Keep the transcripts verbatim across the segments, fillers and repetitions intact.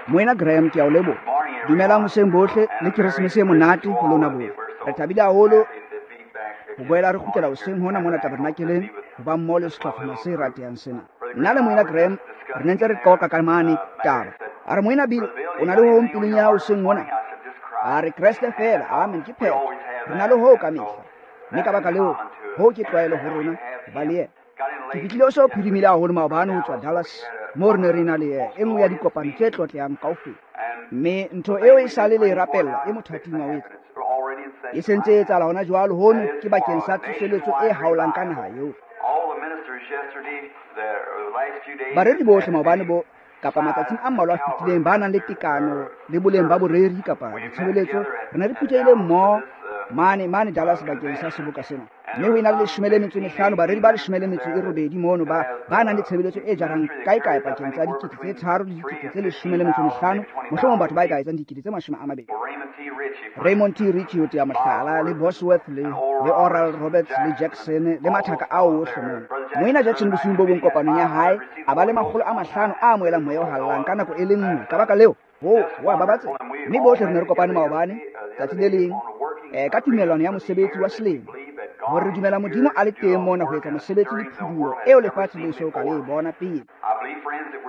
Moena Graham ke a o leboha. Dumelang hoseng bohle le Keresemese e monate ho lona bohle. Re thabile haholo ho boela re kgutlela hoseng hona mona tabernakeleng ho ba mmoho le sehlopha se ratehang sena. Nna le Moena Graham re ne ntse re qoqa ka mane taba. A re Moena Bill o na le ho hong pelong ya hao hoseng hona. A re Kreste feela, amen, ke phetho. Re na le hoo ka mehla. Mme ka baka leo, hoo ke tlwaelo ho rona ho ba le yena. Ke fihlile o se o phirimile haholo maobane ho tswa Dallas, moo re ne re na le e nngwe ya dikopano tse tlotlehang kaofela. Mme ntho eo e sale le e rapella e mothating wa ho etsa. E sentse e etsahala hona jwalo, hono ke bakeng sa tsoseletso e haolang ka naha eo. Bareri bohle maobane bo kapa matsatsing a mmalwa a fetileng ba nang le tekano le boleng ba boreri kapa ditshebeletso, re ne re phuthehile mmoho mane mane Dallas bakeng sa seboka sena. Mme ho ena le leshome le metso e mehlano, bareri ba leshome le metso e robedi mono ba ba nang le tshebeletso e jarang kae-kae pakeng tsa dikete tse tharo le dikete tse leshome le metso e mehlano, mohlomong batho ba e ka etsang dikete tse mashome a mabedi. Raymond T. Richey ho tea mohlala, le Bosworth le, le Oral Roberts le Jackson le mathaka ao ohle mono. Moena Jackson bosiung bo bong kopanong ya hae a ba le makgolo a mahlano a amohelang moya o hallang ka nako e le nngwe. Ka baka leo, ho wa babatse. Mme bohle re ne re kopane maobane tsatsi le leng eh, ka tumellano ya mosebetsi wa selemo, hore re dumela Modimo a le teng mona ho etsa mosebetsi le phuduo eo lefatshe le so ka le e bona pele.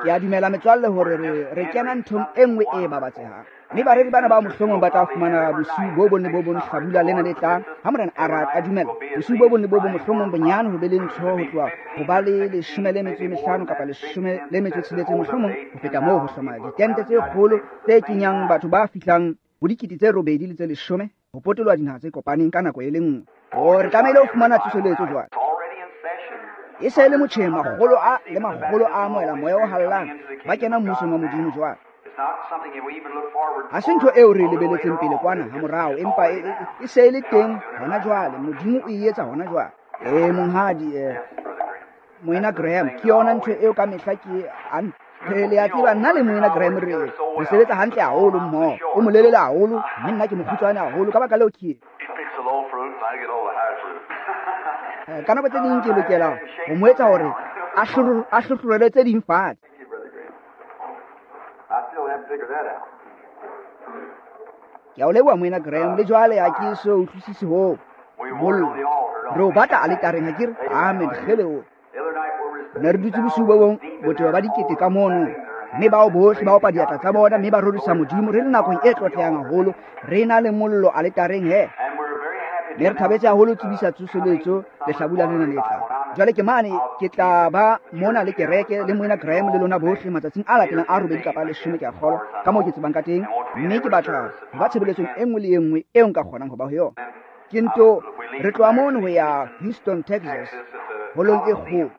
Ke a dumela metswalle hore re, re kena nthong e nngwe e babatsehang. Mme bareri bana ba mohlomong ba tla fumana bosiu bo bong le bo bong hlabula lena le tlang, ha Morena a rata a dumela. Bosiu bo bong le bo bong mohlomong bonyane ho be le ntho ho tloha ho ba le leshome le metso e mehlano kapa leshome le metso e tsheletseng, mohlomong ho feta moo, ho hloma ditente tse kgolo tse kenyang batho ba fihlang ho dikete tse robedi le tse leshome ho potoloha dinaha tse kopaneng ka nako e le nngwe. O re tlamehile ho fumana tsoseletso jwale. E se le motjheng, makgolo a le makgolo a amohela moya o hallang, ba kena mmusong wa Modimo jwale. Ha se ntho eo re e lebeletseng pele kwana ha morao, empa e, e, e se e le teng hona jwale. Modimo o e etsa hona jwale. E monghadi, eh, Moena Graham, ke yona ntho eo ka mehla ke a le a tseba, nna le Moena Graham re re sebetsa hantle haholo mmoho. O molelele haholo, mme nna ke mokgutshwane haholo. Ka baka leo ke ka nako tse ding ke lokela ho mo etsa hore a hlohlorele tse ding fatshe. Ke a o leboha Moena Graham, le jwale ha ke so utlwisise hoo. Mollo re o batla aletareng, ha ke re? Amen. Kgele o ne re dutse bosiu bo bong botebo ba dikete ka mono, mme bao bohle ba opa diatla tsa bona mme ba rorisa Modimo. Re le nakong e tlotlehang haholo, re na le mollo aletareng he. Mme re thabetse haholo tsebisa tsoseletso lehlabula lena le tlang. Jwale ke mane ke tla ba mona le kereke le Moena Graham le lona bohle matsatsing a latelang a robedi kapa a leshome, ke a kgolwa ka moo ke tsebang ka teng. Mme ke batla ho ba tshebeletsong e nngwe le e nngwe eo nka kgonang ho ba ho yona. Ke nto re tloha mono ho ya Houston, Texas, holong e kgolo.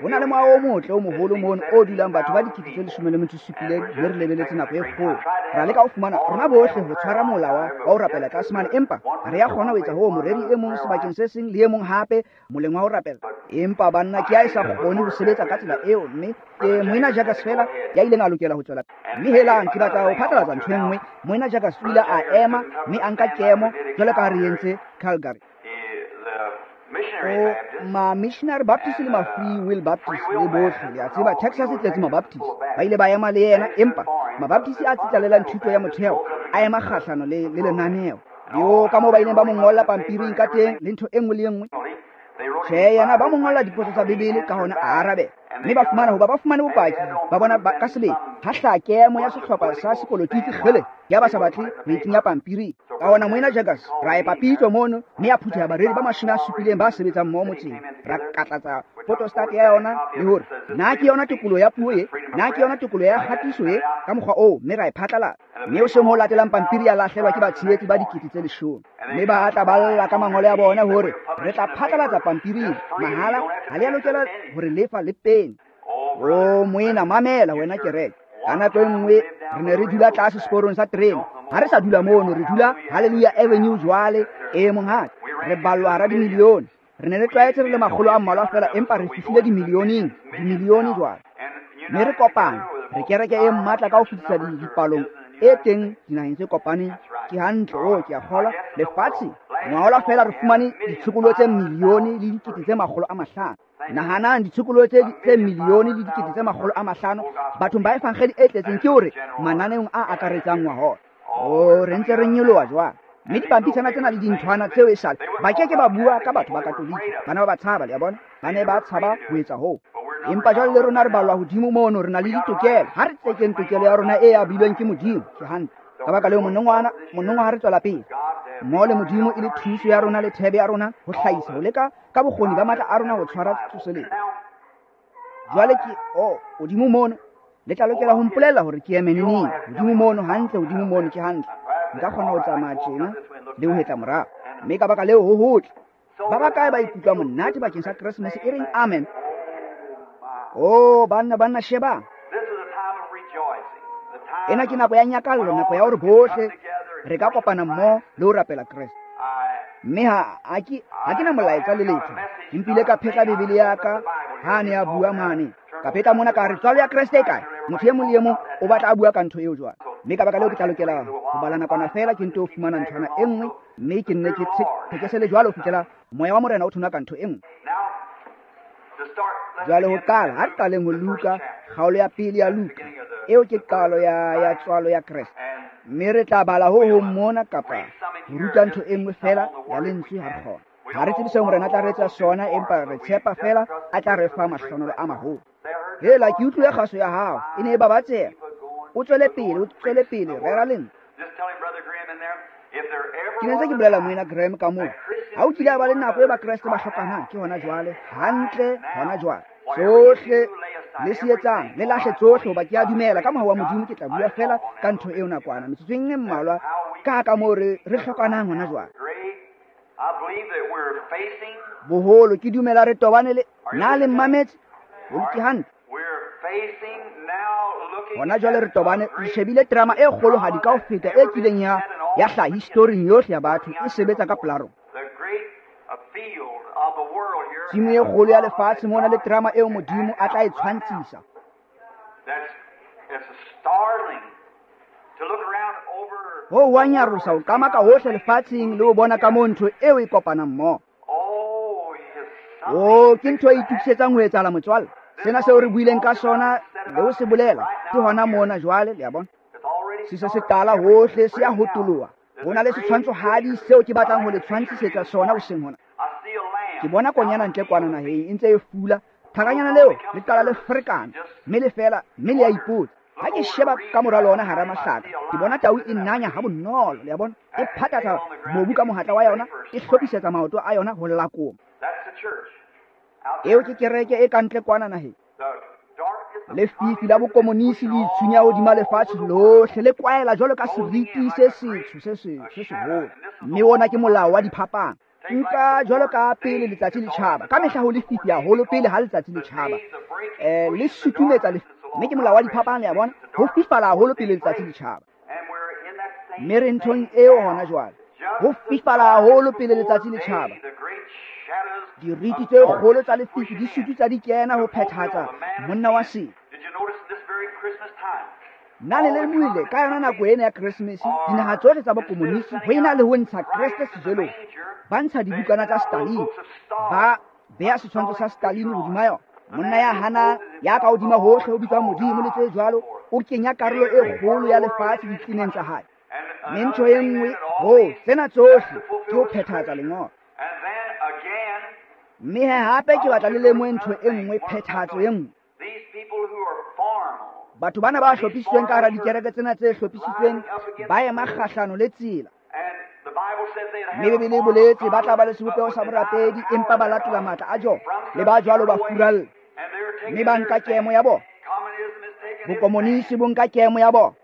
Ho na le moaho o motle o moholo mono o dulang batho ba dikete tse leshome le metso e supileng, mme re lebeletse nako e kgolo. Ra leka ho fumana rona bohle ho tshwara mola wa ho rapela tlase mane, empa ha re ya kgona ho etsa hoo. Moreri e mong sebakeng se seng le e mong hape moleng wa ho rapela, empa banna ke a e sa kgone ho sebetsa ka tsela eo. Mme ke Moena Jacques fela ya ileng a lokela ho tswela. Mme helang, ke batla ho phatlalatsa ntho e nngwe. Moena Jacques o ile a ema mme a nka kemo jwalo ka ha re entse Calgary. O ma Missionary Baptist le ma Free Will Baptist le bohle, le a tseba Texas e tletse ma-Baptist, ba ile ba ema le yena, empa ma-Baptist a tsitlalelang thuto ya motheo a ema kgahlano le, le lenaneo. Yo ka moo ba ileng ba mo ngolla pampiring ka teng le ntho e nngwe le e nngwe. Tjhe, yena ba mo ngolla dipotso tsa Bibele, ka hona a arabela. Mme ba fumana hoba ba fumane bopaki ba bona ba ka sebele ha hlaha kemo ya sehlopha sa sepolotiki kgele ya ba sa batle ho e kenya pampiring. Ka hona Moena Jacques ra epa pitso mono, mme ya phutheha bareri ba mashome a supileng ba sebetsang mmoho motseng. Ra katlatsa photostat ya yona le hore na ke yona tokoloho ya puo e, na ke yona tokoloho ya kgatiso e, ka mokgwa oo, mme ra e phatlalatsa. Mme hoseng ho latelang pampiri ya lahlelwa ke batshehetsi ba dikete tse leshome, mme ba tla balla ka mangolo ya bona hore re tla phatlalatsa pampiring mahala, ha le a lokela hore lefa le peni. O moena, mamela wena kereke. Ka nako e nngwe re ne re dula tlase seporong sa terene. Ha re sa dula mono, re dula Hallelujah Avenue jwale. E monghadi, re ballwa hara dimilione. Re ne re tlwaetse re le makgolo a mmalwa fela, empa re fihlile dimilioneng, dimilione jwale. Mme re kopane, re kereke e matla ka ho fetisa dipalong e teng dinaheng tse kopaneng. Ke hantle, o ke a kgolwa lefatshe. Ngwahola feela re fumane ditshokolo tse milione le dikete tse makgolo a mahlano. Nahanang ditshokolo tse tse milione le dikete tse makgolo a mahlano bathong ba evangeli e tletseng, ke hore mananeong a akaretsang ngwahola. O re ntse re nyoloha jwale. Mme dipampitshana tsena le dinthwana tseo e sale ba ke ke ba bua ka batho ba Katolike. Bana ba ba tshaba, le a bona, ba ne ba tshaba ho etsa hoo. Empa jwale le rona re balwa hodimo mono, re na le ditokelo. Ha re tsekeng tokelo ya rona e abilweng ke Modimo. Ke hantle. Ka baka leo monongwana monongwa ha re tswela pele mmoho le Modimo e le thuso ya rona le thebe ya rona ho hlahisa ho leka ka bokgoni ba matla a rona ho tshwara tsoseletso. Jwale ke o hodimo mono, le tla lokela ho mpolella hore ke eme neneng. Hodimo mono hantle, hodimo mono ke hantle. Nka kgona ho tsamaya tjena le ho hetla morao. Mme ka baka leo ho hotle. Ba bakae ba ikutlwa monate bakeng sa Keresemese e reng amen? Oh, banna banna shebang. Ena ke nako ya nyakallo, nako ya hore bohle re ka kopana mmoho le ho rapela Kreste. Mme ha ha ke ha ke na molaetsa le letho. Ke mpile ka phetla Bibele ya ka ha ne a bua mane. Ka phetla mona ka re tswalo ya Kreste e kae? Motho e mong le e mong o batla a bua ka ntho eo jwale. Mme ka baka leo ke tla lokela ho bala nakwana feela, ke nto fumana nthwana e nngwe, mme ke nne ke thekesele jwalo ho fihlela moya wa Morena o thona ka ntho e nngwe. Jwale ho qala, ha re qaleng ho Luka, kgaolo ya pele ya Luka. Eo ke qalo ya ya tswalo ya Kreste. Mme re tla bala ho hong mona kapa ho ruta ntho e nngwe feela ya lentswe ha re kgona. Ha re tsebe seo Morena a tla re etsa sona, empa re tshepa feela a tla re fa mahlonolo a maholo. Hela, ke utlwile kgaso ya hao, e ne e babatseha. O tswele pele, o tswele pele, rera lentswe. Ke ne ntse ke bolela moena Graham ka moo. Ha o kile a ba le nako e Bakreste ba hlokanang, ke hona jwale, hantle hona jwale. Tsohle le se etsang, le lahle tsohle, hoba ke a dumela ka mohau wa Modimo ke tla bua feela ka ntho eo nakwana, metsotsong e mmalwa, ka ka moo re re hlokanang hona jwale. Boholo ke dumela re tobane le na le mmametse, ho ke hantle. Hona jwale re tobane, re shebile drama e kgolohadi ka ho feta e kileng ya ya hlaha historing yohle ya batho, e sebetsa ka pela rona. Tshimo e kgolo ya lefatshe mona le drama eo Modimo a tla e tshwantshisa. Ho wa nyarosa ho qamaka hohle lefatsheng le ho bona ka moo ntho eo e kopanang mmoho. Oh, ke ntho e itokisetsang ho etsahala motswalle. Sena seo re buileng ka sona le ho se bolela ke hona mona jwale, le a bona. Se se se qala hohle, se ya hotoloha. Ho na le setshwantshohadi seo ke batlang ho le tshwantshisetsa sona hoseng hona. Ke bona konyana ntle kwana naheng e ntse e fula. Thakanyana leo le qala le ferekana, mme le fela, mme le a ipotsa. Ha ke sheba ka mora lona hara mahlaka, ke bona tau e nanya ha bonolo, le a bona. E phathatha mobu ka mohatla wa yona, e hlophisetsa maoto a yona ho lakoma. Eo ke kereke e kantle kwana naheng. Lefifi la bokomonisi le itshunya hodima lefatshe lohle, le kwaela jwalo ka seriti se setsho se se se seholo. Mme ona ke molao wa diphapang. Nka jwalo ka pele letsatsi le tjhaba. Ka mehla ho lefifi haholo pele ha letsatsi le tjhaba. Eh, le sutumetsa le, mme ke molao wa diphapang, le a bona. Ho fifala haholo pele letsatsi le tjhaba. Mme re nthong eo hona jwale. Ho fifala haholo pele letsatsi le tjhaba. Diriti tse kgolo tsa lefifi di sututsa di kena ho phethatsa monna wa sebe. Na le lemohile ka yona nako ena ya Keresemese, dinaha tsohle tsa bokomonisi ho ena le ho ntsha Kreste sejelong, ba ntsha dibukana tsa Stalin, ba beha setshwantsho sa Stalin hodima yona. Monna ya hana ya ka hodima hohle ho bitswang Modimo le tse jwalo, o kenya karolo e kgolo ya lefatshe ditleneng tsa hae. Mme ntho e nngwe ho tsena tsohle ke ho phethahatsa lengolo. Mme he hape ke batla le lemohe ntho e nngwe, phethahatso e nngwe. Batho bana ba hlophisitsweng ka hara dikereke tsena tse hlophisitsweng ba ema kgahlano le tsela. Mme Bibele e boletse ba tla ba le sebopeho sa borapedi, empa ba latola matla a jona, le ba jwalo ba furalla. Mme ba nka kemo ya bona. Bokomonisi bo nka kemo ya bona.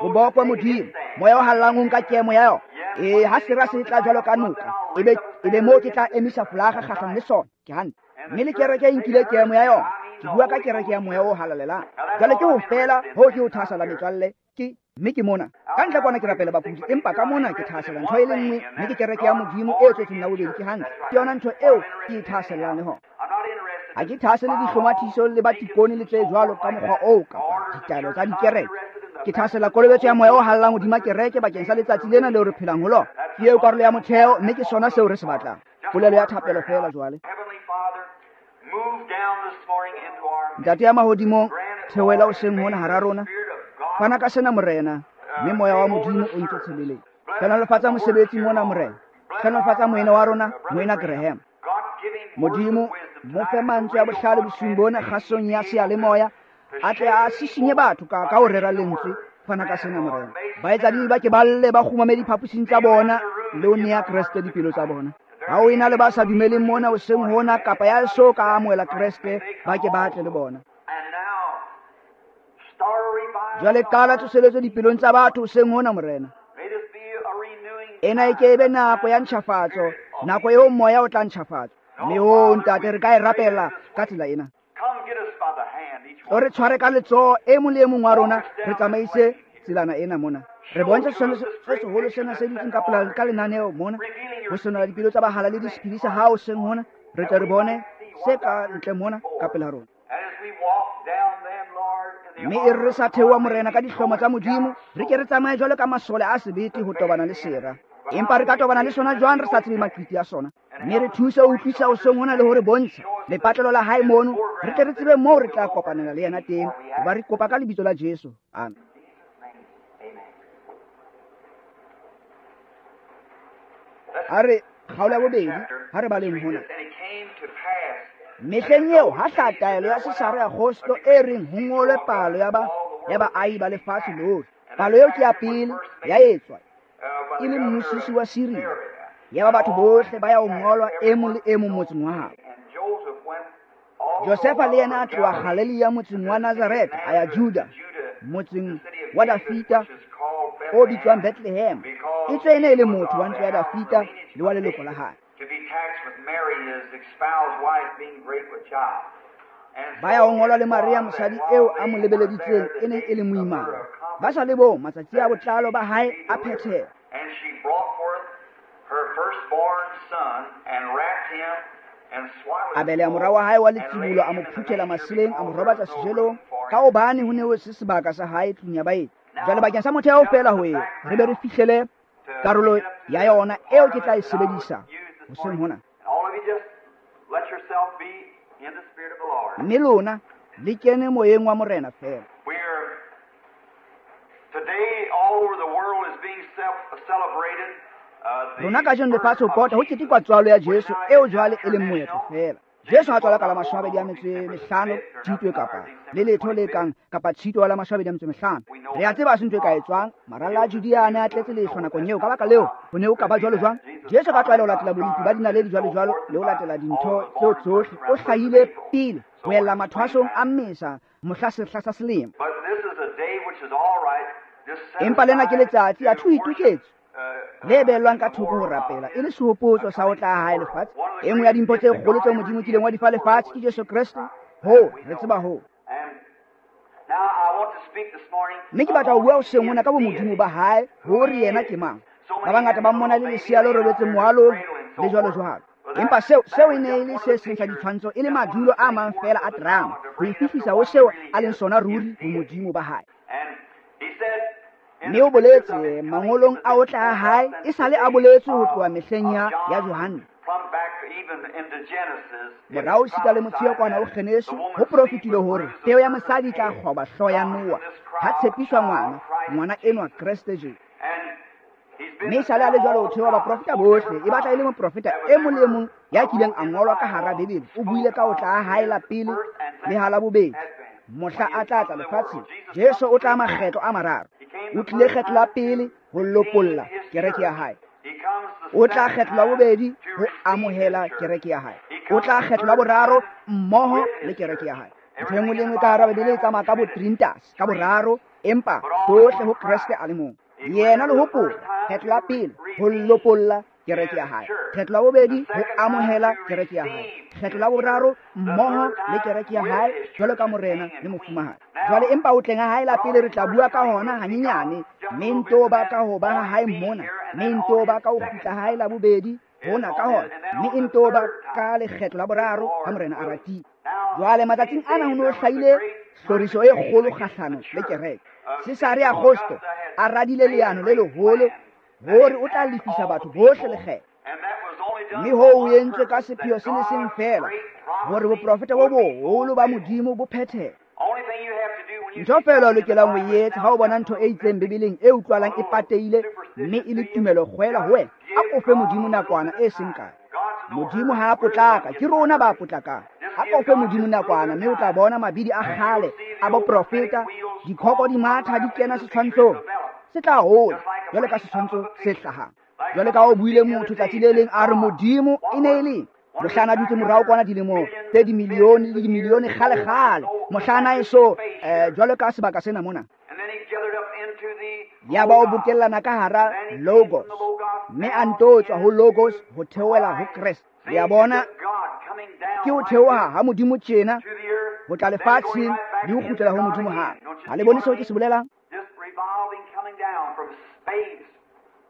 Ho bokwe Modimo, moya o hallang o nka kemo ya yona. E ha sera se tla jwalo ka noka, ebe ebe moo ke tla emisa folaga kgahlano le sona. Ke hantle. Mme le kereke e nkile kemo ya yona. Ke bua ka kereke ya moya o halalelang. Jwale ke ho fela ho ke ho thahasela metswalle ke mme ke mona. Ka ntle kwana ke rapela bakudi, empa ka mona ke thahasela ntho e le nngwe, mme ke kereke ya Modimo e tswetseng la bobedi. Ke hantle. Ke yona ntho eo ke e thahasellang le hona. Ha ke thahasele dihlomathiso le batikone le tse jwalo ka mokgwa oo kapa ditaelo tsa dikereke. Ke thasela kolobetso ya moya o hallang hodima kereke bakeng sa letsatsi lena leo re phelang ho lona. Ke eo karolo ya motheo, mme ke sona seo re se batlang. Polelo ya thapelo feela jwale. Ntate ya mahodimong, theohela hoseng hona hara rona. Fana ka sena Morena, mme moya wa Modimo o nke tshebeletso. Hlohonolofatsa mosebetsi mona Morena. Hlohonolofatsa moena wa rona, moena Graham. Modimo, mo fe mantswe a bohlale bosiung bona kgasong ya seyalemoya, a tle a sisinye batho ka ka ho rera lentswe. Fana ka sena Morena. Baetsadibe ba ke ba lle ba kgumame diphaposing tsa bona le ho nea Kreste dipelo tsa bona. Ha o ena le ba sa dumeleng mona hoseng hona kapa ya so ka amohela Kreste, ba ke ba tle le bona. Jwale qala tsoseletso dipelong tsa batho hoseng hona Morena. Ena e ke ebe nako ya ntjhafatso, nako eo moya o tla ntjhafatsa. Mme o ntate re ka e rapela ka tsela ena. O re tshware ka letsoho e mong le e mong wa rona, re tsamaise tselana ena mona. Re bontsha setshwantsho se seholo sena se dutseng ka pela ka lenaneo mona, ho senola dipelo tsa bahalaledi sephiri sa hao hoseng hona, re tle re bone se ka ntle mona ka pela rona. Mme e re sa theoha Morena ka dihlomo tsa Modimo, re ke re tsamaye jwalo ka masole a sebete ho tobana le sera. Empa re ka tobana le sona jwang re sa tsebe maqiti a sona? Mme re thuse ho utlwisa hoseng hona le hore bontsha lepatlelo la hae mono, re tle re tsebe moo re tla kopanela le yena teng. Hoba re kopa ka lebitso la Jesu. Amen. A re kgaolo ya bobedi, ha re baleng hona. Mehleng eo ha hlaha taelo ya Sesare Augusto e reng ho ngolwe palo ya ba ya baahi ba lefatshe lohle. Palo eo ke ya pele ya etswa e le mmusisi wa Siria. Ya ba batho bohle ba ya ho ngolwa e mong le e mong motseng wa habo. Josefa le yena a tloha Galilea motseng wa Nazareth a ya Juda motseng wa Dafita o bitswang Bethlehem. Etswe e ne e le motho wa ntlo ya Dafita le wa leloko la hae. Ba ya ho ngolwa le Maria mosadi eo a mo lebeleditseng e neng e le moimana. Ba sa le bong matsatsi a botlalo ba hae a phetheha. A beleha mora wa hae wa letsibolo, a mo phuthela maseleng, a mo robatsa sejelong, ka hobane ho ne ho se sebaka sa hae tlung ya baeti. Jwale bakeng sa motheo feela ho e re be re fihlele karolo ya yona eo ke tla e sebedisa hoseng hona. Mme lona le kene moyeng wa Morena feela. Rona kajeno lefatshe ho pota ho ketekwa tswalo ya Jesu eo jwale e leng moetlo feela. Jesu ha tswalwa ka la mashome a mabedi a metso e mehlano Tshitwe kapa le letho le kang kapa Tshitwe wa la mashome a mabedi a metso e mehlano. Re a tseba se ntho e ka etswang. Maralla a Judea a ne a tletse lehlwa nakong eo. Ka baka leo ho ne ho ka ba jwalo jwang? Jesu ka tlwaelo ho latela bolepi ba dinaledi jwalo jwalo le ho latela dintho tseo tsohle. O hlahile pele ho ella mathwasong a Mmesa mohla sehla sa selemo. Empa lena ke letsatsi a thu itoketse le behellwang ka thoko ho rapela e le sehopotso sa ho tla ha hae lefatshe. E nngwe ya dimpho tse kgolo tseo Modimo kileng wa di fa lefatshe ke Jesu Kreste. Ho re tseba ho. Mme ke batla ho bua hoseng hona ka bomodimo ba hae, hore yena ke mang. Ba bangata ba mmona le lesea le robetseng moalong le jwalo jwalo. Empa seo seo e ne e le se seng sa ditshwantsho, e le madulo a mang feela a drama ho e fihlisa ho seo a leng sona ruri bomodimo ba hae. Mme o boletse mangolong a ho tla ha hae, e sale a boletse ho tloha mehleng ya ya Johanne. Morao esita le motsheo kwana ho Genesi, ho profetile hore peo ya mosadi e tla kgoba hlooho ya Noa ha tshepiswa ngwana, ngwana enwa Kreste Jesu. Mme e sale a le jwalo ho theoha baprofeta bohle, e batla e le moprofeta e mong le e mong ya kileng a ngolwa ka hara Bibele o buile ka ho tla ha hae la pele le ha la bobedi mohla a tla tla lefatsheng. Jesu o tla makgetlo a mararo. O tlile kgetlo la pele ho lopolla kereke ya hae. O tla kgetlo la bobedi ho amohela kereke ya hae. O tla kgetlo la boraro mmoho le kereke ya hae. Ntho e nngwe le nngwe ka hara Bibele e tsamaya ka bo Trinitas, ka boraro, empa tsohle ho Kreste a le mong. Yena le hopola kgetlo la pele ho lopolla kereke ya hae, kgetlo la bobedi ho amohela kereke ya hae, kgetlo la boraro mmoho le kereke ya hae jwalo ka morena le mofumahadi. Jwale empa ho tleng ha hae la pele re tla bua ka hona hanyenyane, mme nto ba ka ho ba ha hae mona, mme nto ba ka ho kgutla hae la bobedi hona ka hona, mme nto ba ka lekgetlo la boraro ha morena a ratile. Jwale matsatsing ana ho no hlahile Hloriso e kgolo kgahlano le kereke. Cesare Augusto a radile leano le leholo hore o tla lefisa batho bohle lekgetho. Mme hoo o entswe ka sepheo se le seng feela, hore boprofeta bo boholo ba Modimo bo phethehe. Ntho feela o lokelang ho e etsa ha o bona ntho e itseng Bibeleng e utlwalang e patehile mme e le tumelo kgwela ho wena, a kofe Modimo nakwana e seng kae. Modimo ha a potlaka, ke rona ba potlakang. A kofe Modimo nakwana mme o tla bona mabidi a kgale a boprofeta, dikhoko di matha di kena setshwantshong. Se tla hola jwalo ka setshwantsho se hlahang. Jwalo ka o buile motho tsatsi le leng a re Modimo e ne e le mohlana dutse morao kwana dilemo tse dimilione le dimilione kgale kgale, mohlana eso eh, jwalo ka sebaka sena mona. Ya ba o bokellana ka hara Logos, mme a nto tswa ho Logos ho theohela ho Kreste. Le a bona, ke ho theoha ha Modimo tjena ho tla lefatsheng le ho kgutlela ho Modimo hape. Ha le bone seo ke se bolelang?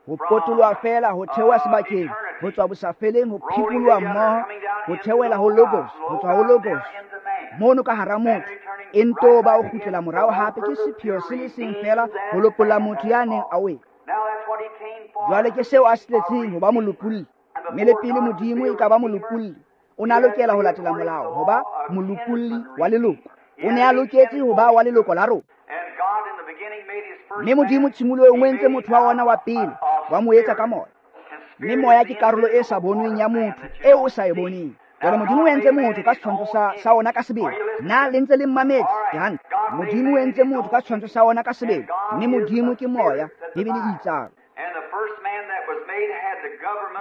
Ho potoloha feela, ho theoha sebakeng, ho tswa bosafeleng, ho phikoloha mmoho, ho theohela ho Logos, ho tswa ho Logos mono ka hara motho, e nto ba o kgutlela morao hape. Ke sepheo se le seng feela, ho lopolla motho ya neng a wele. Jwale ke seo a se tletseng, ho ba molopolli. Mme le pele Modimo e ka ba molopolli, o ne a lokela ho latela molao ho ba molopolli wa leloko. O ne a loketse ho ba wa leloko la rona. Mme Modimo tshimolohong o entse motho wa ona wa pele, wa mo etsa ka moya. Mme moya ke karolo e sa bonweng ya motho, eo o sa e boneng. Jwale Modimo o entse motho ka setshwantsho sa, sa ona ka sebele. Na le ntse le mmametse? Ke hantle. Modimo o entse motho ka setshwantsho sa ona ka sebele. Mme Modimo ke moya, Bibele e itsalo.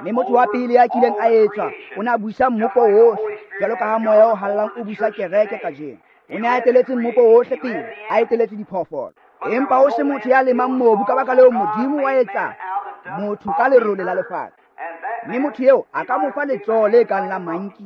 Mme motho wa pele ya kileng a etswa o ne a busa mmopo wohle, jwalo ka ha moya o hallang o busa kereke kajeno. O ne a eteletse mmopo wohle pele, a eteletse diphoofolo. Empa ho se motho ya lemang mobu, ka baka leo Modimo wa etsa motho ka lerole la lefatshe. Mme motho eo a ka mo fa letsoho le kang la manki,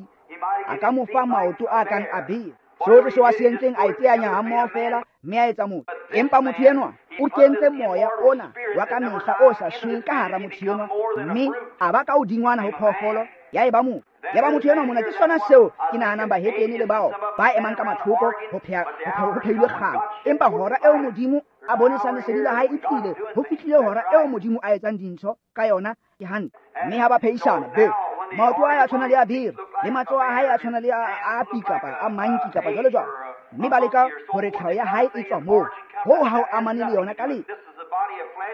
a ka mo fa maoto a kang a bere. Sohle seo a se entseng a iteanya hammoho feela, mme a etsa motho. Empa motho enwa o kentse moya ona wa ka mehla o sa shweng ka hara motho enwa, mme a ba ka hodingwana ho phoofolo ya eba motho. Ya ba motho enwa mona, ke sona seo ke nahanang bahetene le bao ba emang ka mathoko ho pheha ho phehilwe kgang. Empa hora eo Modimo a bonesang lesedi la hae e tlile, ho fihlile hora eo Modimo a etsang dintho ka yona, ke hantle. Mme ha ba phehisana, be maoto a hae a tshwana le a bere, le matsoho a hae a tshwana le a a pi kapa a manki kapa jwalo jwalo. Mme ba leka hore tlhaho ya hae e tswa moo. Hoo ha o amane le yona ka letho.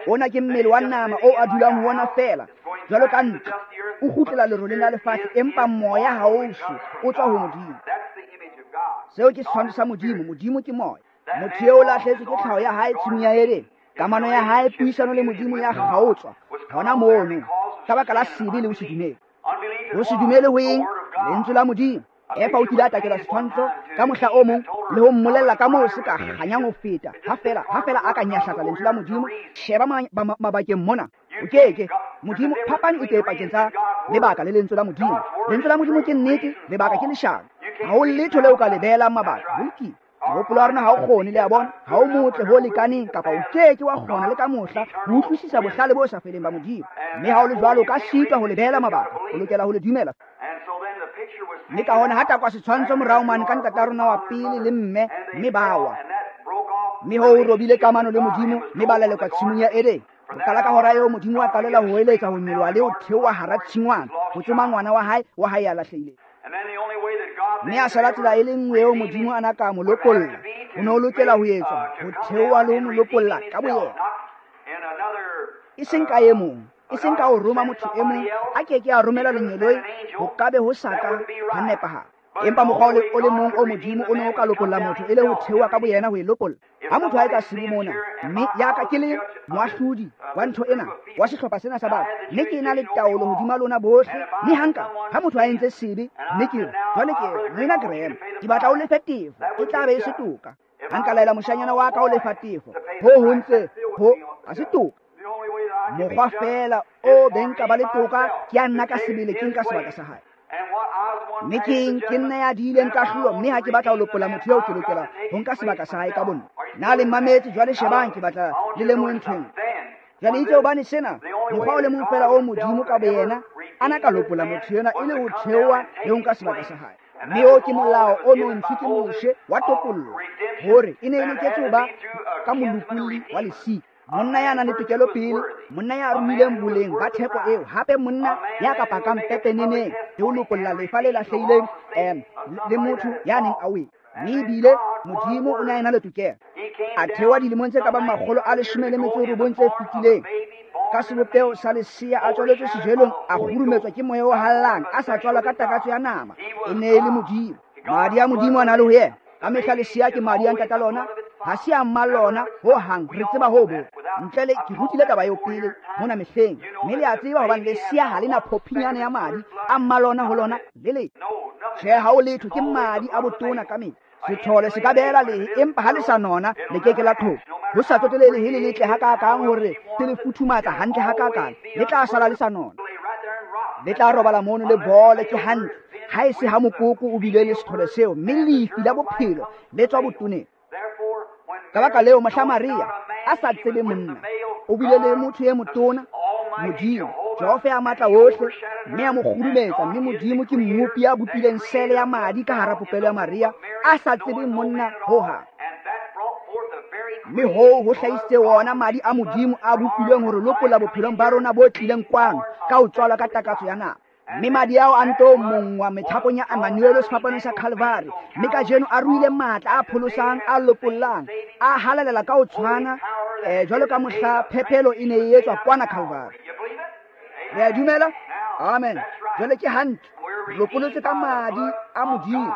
Ona ke mmele wa nama o a dulang ho ona feela, jwalo ka ntlo. O kgutlela leroleng la lefatshe, empa moya ha o shwe, o tswa ho Modimo. Seo ke setshwantsho sa Modimo. Modimo ke moya. Motho eo o lahlehetswe ke tlhaho ya hae tshimong ya Edene. Kamano ya hae, puisano le Modimo ya kgaotswa hona mono ka baka la sebe le ho se dumele. Ho se dumele ho eng? Lentswe la Modimo. Efa o kile a takelwa setshwantsho ka mohla o mong le ho mmolella ka moo se ka kganyang ho feta. Ha fela, ha fela a ka nyahlatsa lentswe la Modimo, sheba mabakeng mona. O keke. Modimo, phapang e teng pakeng tsa lebaka le lentswe la Modimo. Lentswe la Modimo ke nnete, lebaka ke leshano. Ha ho letho leo ka le beelang mabaka. Ho lokile. Mohopolo wa rona ha o kgone, le a bona, ha o motle ho lekaneng, kapa o keke wa kgona le ka mohla ho utlwisisa bohlale bo sa feleng ba Modimo. Mme ha o le jwalo, o ka sitwa ho le beela mabaka, o lokela ho le dumela. Mme ka hona ha takwa setshwantsho morao mane ka ntata rona wa pele le mme, mme ba wa. Mme hoo o robile kamano le Modimo, mme ba lelekwa tshimong ya Edene. Ho qala ka hora eo Modimo wa qalela ho eletsa ho nyoloha le ho theoha hara tshingwana, ho tsoma ngwana wa hae, wa hae ya lahlehileng. Mme a sala tsela e le nngwe eo Modimo a na ka mo lopolla. Ho ne ho lokela ho etswa, ho theoha le ho mo lopolla ka boyena. E seng ka e mong, e seng ka ho roma motho e mong, a keke a romela lengeloi, ho ka be ho sa ka ha nepahala. Empa mokgwa o le mong o Modimo o ne o ka lopolla motho e le ho theoha ka boyena ho e lopolla. Ha motho a etsa sebe mona, mme ya ka ke le moahlodi wa ntho ena, wa sehlopha sena sa batho, mme ke na le taolo hodima lona bohle, mme hanka ha motho a entse sebe, mme ke re jwale ke Moena Graham, ke batla o lefe tefo, e tla be e se toka. Ha nka laela moshanyana wa ka o lefa tefo, ho ho ntse ho ha se toka. Mokgwa feela o beng ka ba le toka ke ya nna ka sebele ke nka sebaka sa hae. Mme ke eng? Ke nna ya diileng kahlolo, mme ha ke batla ho lopolla motho eo, ke lokela ho nka sebaka sa hae ka bonna. Na le mmametse jwale? Shebang, ke batla le lemohe ntho ena. Jwale itse hobane sena, mokgwa o le mong feela o Modimo ka boyena a na ka lopolla motho ena e le ho theoha le ho nka sebaka sa hae. Mme oo ke molao o no ntshwe ke Moshe wa topollo, hore e ne e loketse ho ba ka molopolli wa lesika. Monna ya nang le tokelo pele, monna ya ruileng boleng ba theko eo, hape monna ya ka pakang pepeneneng le ho lopolla lefa le lahlehileng em le motho ya neng a wele. Mme ebile Modimo o ne a ena le tokelo. A theoha dilemong tse ka bang makgolo a leshome le metso e robong tse fetileng, ka sebopeho sa lesea, a tswaletswe sejelong, a kgurumetswa ke moya o hallang, a sa tswalwa ka takatso ya nama. E ne e le Modimo. Madi a Modimo a na le ho yena. Ka mehla lesea ke madi a ntata lona, ha se a mma lona ho hang. Re tseba ho bo. Ntle le ke rutile taba eo pele mona mehleng, mme le a tseba hobane lesea ha le na phophinyana ya madi a mma lona ho lona le le. Tjhe, ha ho letho, ke madi a botona ka mehla. Sethole se ka beela lehe, empa ha le sa nona le ke ke la qhoba. Ho sa tsotelehe lehe le letle hakakang hore se le futhumatsa hantle hakakang, le tla sala le sa nona. Le tla robala mono le bole ke hantle. Ha e se ha mokoko o bile le sethole seo, mme lefi la bophelo le tswa botoneng. Ka baka leo, mohla Maria a sa tsebe monna, o bile le motho e motona, Modimo, Jehova ya matla ohle, mme a mo kgurumetsa. Mme Modimo ke mmopi ya bopileng sele ya madi ka hara popelo ya Maria, a sa tsebe monna ho hang. Mme hoo ho hlahisitse wona madi a Modimo a bopilweng hore lopolla bophelong ba rona bo tlileng kwano ka ho tswalwa ka takatso ya nama. Mme madi ao a nto monngwa methapong ya Emmanuel sefapanong sa Calvary, mme kajeno a ruile matla a pholosang, a lopollang, a halalela ka ho tshwana eh, jwalo ka mohla phepelo e ne e etswa kwana Calvary. Le a dumela? Amen. Jwale ke hantle, re lopolotswe ka madi a Modimo.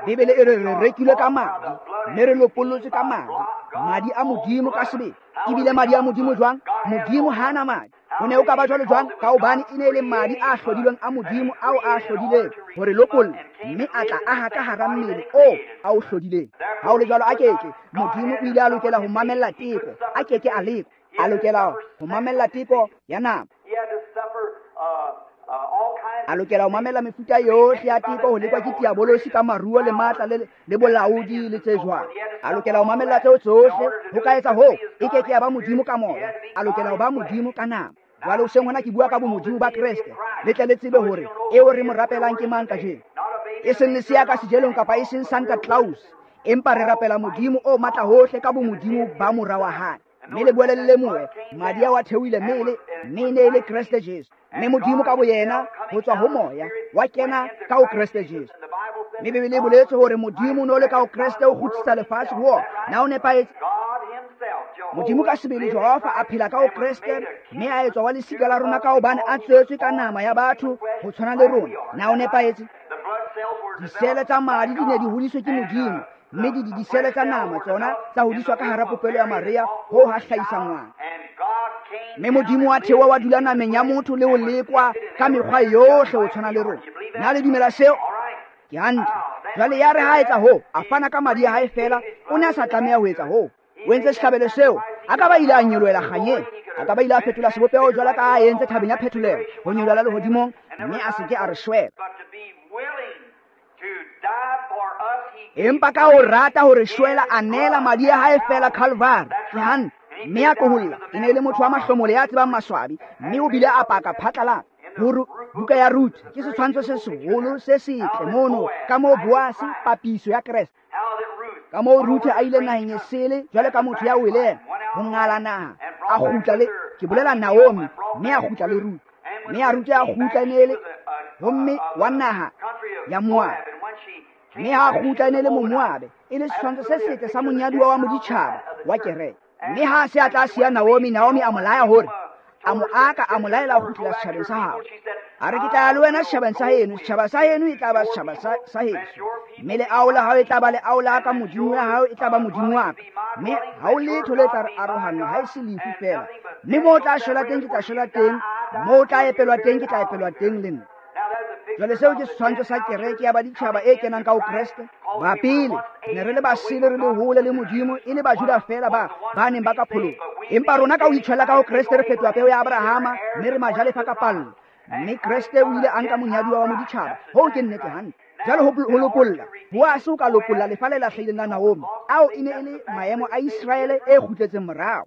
Bibele e re re rekilwe ka madi, mme re lopolotswe ka madi, madi a Modimo ka sebele. Ebile madi a Modimo jwang? Modimo ha a na madi. Ho ne ho ka ba jwalo jwang? Ka hobane e ne e le madi a hlodilweng a Modimo ao a hlodileng hore lopolla, mme a tla aha ka hara mmele oo a o hlodileng. Ha ho le jwalo, a keke Modimo o ile a lokela ho mamella teko, a keke a lekwa, a lokela ho mamella teko ya nama, a lokela ho mamella mefuta yohle ya teko, ho lekwa ke diabolosi ka maruo le matla le, le bolaodi le tse jwalo. A lokela ho mamella tseo tsohle. Ho ka etsa hoo, e ke ke ya ba Modimo ka moya, a lokela ho ba Modimo ka nama. Jwale hoseng hona ke bua ka bomodimo ba Kreste, le tle le tsebe hore eo re mo rapelang ke mang kajeno. E seng lesea ka sejelong kapa e seng Santa Claus, empa re rapela Modimo o matla hohle ka bomodimo ba mora wa hae. Mme le boele le lemohe, madi ao a theohile mmele, mme e ne e le Kreste Jesu. Mme Modimo ka boyena ho tswa ho moya wa kena ka ho Kreste Jesu. Mme Bibele e boletse hore Modimo o no le ka ho Kreste o kgutlisa lefatshe ho ona. Na o nepahetse? Modimo ka sebele Jehova a phela ka ho Kreste, mme a etswa wa lesika la rona ka hobane a tswetswe ka nama ya batho ho tshwana le rona. Na o nepahetse? Disele tsa madi di ne di hodiswe ke Modimo, mme di disele tsa nama tsona tsa hodiswa ka hara popelo ya Maria ho ha hlahisa ngwana. Mme Modimo wa theoha wa dula nameng ya motho le ho lekwa ka mekgwa yohle ho tshwana le rona. Na le dumela seo? Ke hantle. Jwale ya re ha etsa hoo, a fana ka madi a hae feela, o ne a sa tlameha ho etsa hoo. O entse sehlabelo seo, a ka ba ile a nyolohela kganyeng, a ka ba ile a fetola sebopeho jwalo ka a entse thabeng ya phetolelo, ho nyolohela lehodimong, mme a se ke a re shwela. Empa ka ho rata hore shwela, a neela madi a hae feela Calvary. Ke hantle. Mme a tloholla. E ne e le motho wa mahlomole ya tsebang maswabi, mme o bile a paka phatlalatsa. Hore buka ya Ruth ke setshwantsho se seholo se setle mono, ka moo Boase papiso ya Kreste, ka moo Ruth a ile naheng e sele jwalo ka motho ya weleng ho ngala naha, a kgutla le, ke bolela Naomi, mme a kgutla le Ruth, mme a Ruth a kgutla e ne e le homme wa naha ya Moabe, mme ha a kgutla e ne e le Momoabe, e le setshwantsho se setle sa monyaduwa wa moditjhaba wa kereke. Mme ha se a tla siya Naomi, Naomi a mo laya hore a mo aka, a mo laela ho kgutlela setjhabeng sa habo. A re, ke tla ya le wena setjhabeng sa heno, setjhaba sa heno e tla ba setjhaba sa, sa heso, mme leao la hao e tla ba leao la ka, Modimo ya hao e tla ba Modimo wa ka, mme ha ho letho le tla re arohanya ha e se lefu feela. Mme moo o tla shwela teng, ke tla shwela teng, moo o tla epelwa teng, ke tla epelwa teng le nna. Jwale seo ke setshwantsho sa kereke ya baditjhaba e kenang ka ho Kreste. Ba pele ne re le basele, re le hole le Modimo, e le Bajuda feela ba ba neng ba ka pholoha. Empa rona ka ho itshwela ka ho Kreste re fetoha peo ya Abrahama, mme re majalefa ka pallo. Mme Kreste o ile a nka monyaduwa wa moditjhaba. Hoo ke nnete hantle. Jwale ho lopolla, Boase o ka lopolla lefa le lahlehileng la Naomi. Ao e ne e le maemo a Iseraele e kgutletseng morao.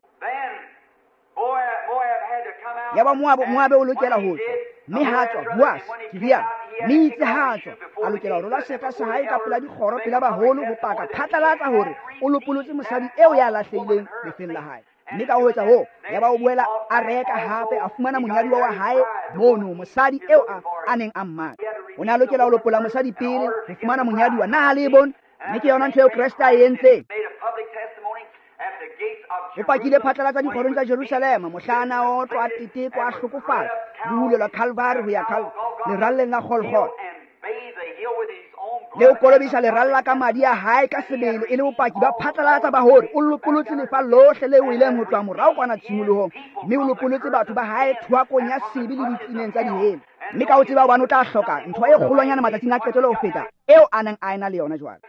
Yaba Moabe, Moabe o lokela ho tswa, mme ha tswa Boase, ke rialo. Mme itse ha tswa a lokela ho rola seeta sa hae ka pela dikgoro pela baholo ho paka phatlalatsa hore o lopolotse mosadi eo ya lahlehileng lefeng la hae. Mme ka ho etsa hoo yaba o boela a reka hape a fumana monyadiwa wa hae mono, mosadi eo a, a neng a mmatla. O ne a lokela ho lopola mosadi pele ho fumana monyadiwa. Na ha le e bone? Mme ke yona ntho eo Kreste a e entseng. O pakile phatlalatsa dikgorong tsa Jerusalema mohla a na otlwa, a tetekwa, a hlokofatswa le ho hulelwa Calvary ho ya Cal leralleng la Golgotha, le ho kolobisa leralla ka madi a hae ka sebele e le bopaki ba phatlalatsa ba hore o lopolotse lefa lohle le weleng ho tloha morao kwana tshimolohong, mme o lopolotse batho ba hae thoakong ya sebe le ditseneng tsa dihele. Mme ka ho tseba hobane o tla hloka ntho e kgolwanyana matsatsing a qetelo ho feta eo a neng a ena le yona jwale.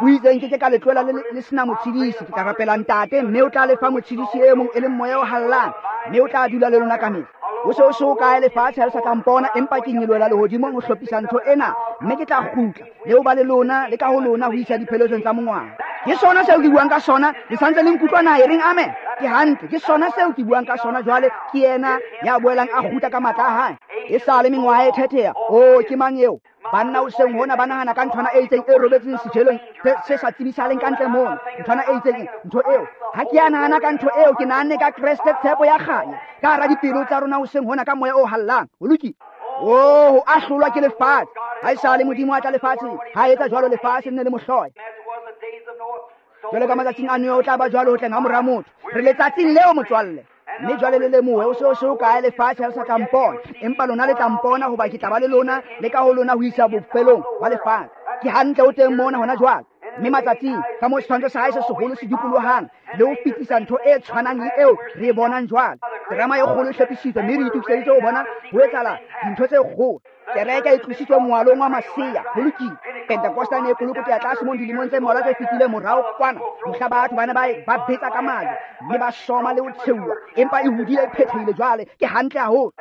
O itse nke ke ka le tlohela le, le sena motshedisi, ke tla rapela Ntate, mme o tla le fa motshedisi e mong e leng Moya o Halalelang, mme o tla dula le lona kamehla. Ho se ho se hokae lefatshe ha le sa tla mpona, empa ke nyolohela lehodimong ho hlophisa ntho ena, mme ke tla kgutla le ho ba le lona le ka ho lona ho isa dipheletsong tsa mongwaha. Ke sona seo ke buang ka sona, le santse le nkutlwa na? E reng amen? Ke hantle, ke sona seo ke buang ka sona jwale. Ke yena ya boelang a kgutla ka matla a hae. E sa le mengwaha e thetheha. Oh, ke mang eo? Banna hoseng hona ba nahana ka nthwana e itseng e robetseng sejelong se sa tsebisahaleng ka ntle mono, nthwana e itseng, ntho eo. Ha ke a nahana ka ntho eo, ke nahanne ka Kreste, tshepo ya kganya ka hara dipelo tsa rona hoseng hona ka moya o hallang. Ho lokile. Oh, ho ahlolwa ke lefatshe. Ha esale Modimo a tla lefatsheng, ha etsa jwalo lefatshe le ne le mo hloya. Jwalo ka matsatsing a Noe o tla ba jwalo ho tleng ha mora motho. Re letsatsing leo, motswalle. Mme jwale le lemohe, ho se ho se hokae lefatshe ha le sa tla mpona, empa lona le tla mpona, hoba ke tla ba le lona le ka ho lona ho isa bofelong ba lefatshe. Ke hantle o teng mona hona jwale. Mme matsatsing ka moo setshwantsho sa hae se seholo se dikolohang le ho fetisa ntho e tshwanang le eo re e bonang jwale. Terama e kgolo e hlophisitswe, mme re itokiseditse ho bona ho etsahala dintho tse kgolo. Kereke e tlositswe moalong wa masea. Ho lokile. Pentecosta ne e kolokoteya tlase mono dilemong tse mmalwa tse fetileng morao kwana, mohla batho ba ne ba ba betsa ka majwe mme ba soma le ho tsheuwa, empa e hodile e phethehile jwale. Ke hantle haholo.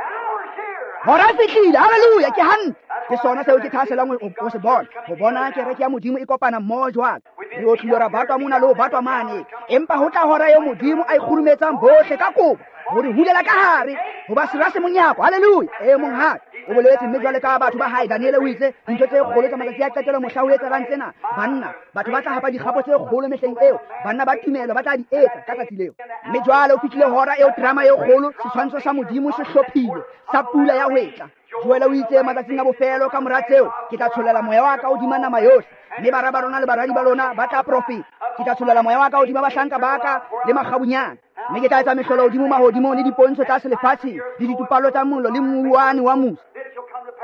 Hora e fihlile. Hallelujah. Ke hantle. Ke sona seo ke thahasellang ho, ho se bona, ho bona kereke ya Modimo e kopana mmoho jwale. Re otlile ra batwa mona le ho batwa mane, empa ho tla hora eo Modimo a ikgurumetsang bohle ka kopo ho re hulela ka hare, hoba sera se monyako. Hallelujah. E monghadi o boletse, mme jwale ka batho ba hae, Daniele o itse dintho tse kgolo tsa matsatsi a qetelo mohla ho etsahalang tsena, banna batho ba tla hapa dikgapo tse kgolo mehleng eo, banna ba tumelo ba tla di etsa ka tsatsi leo. Mme jwale o fihlile hora eo drama e kgolo, setshwantsho sa Modimo se hlophilwe sa pula ya hwetla. Joele o itse matsatsing a bofelo ka mora tseo ke tla tshollela moya wa ka hodima nama yohle, mme bara ba rona le baradi ba lona ba tla profeta. Ke tla tshollela moya wa ka hodima bahlanka ba ka le makgabunyane, mme ke tla etsa mehlolo hodimo mahodimong le dipontsho tlase lefatsheng le ditupallo tsa mollo le mouwane wa musi.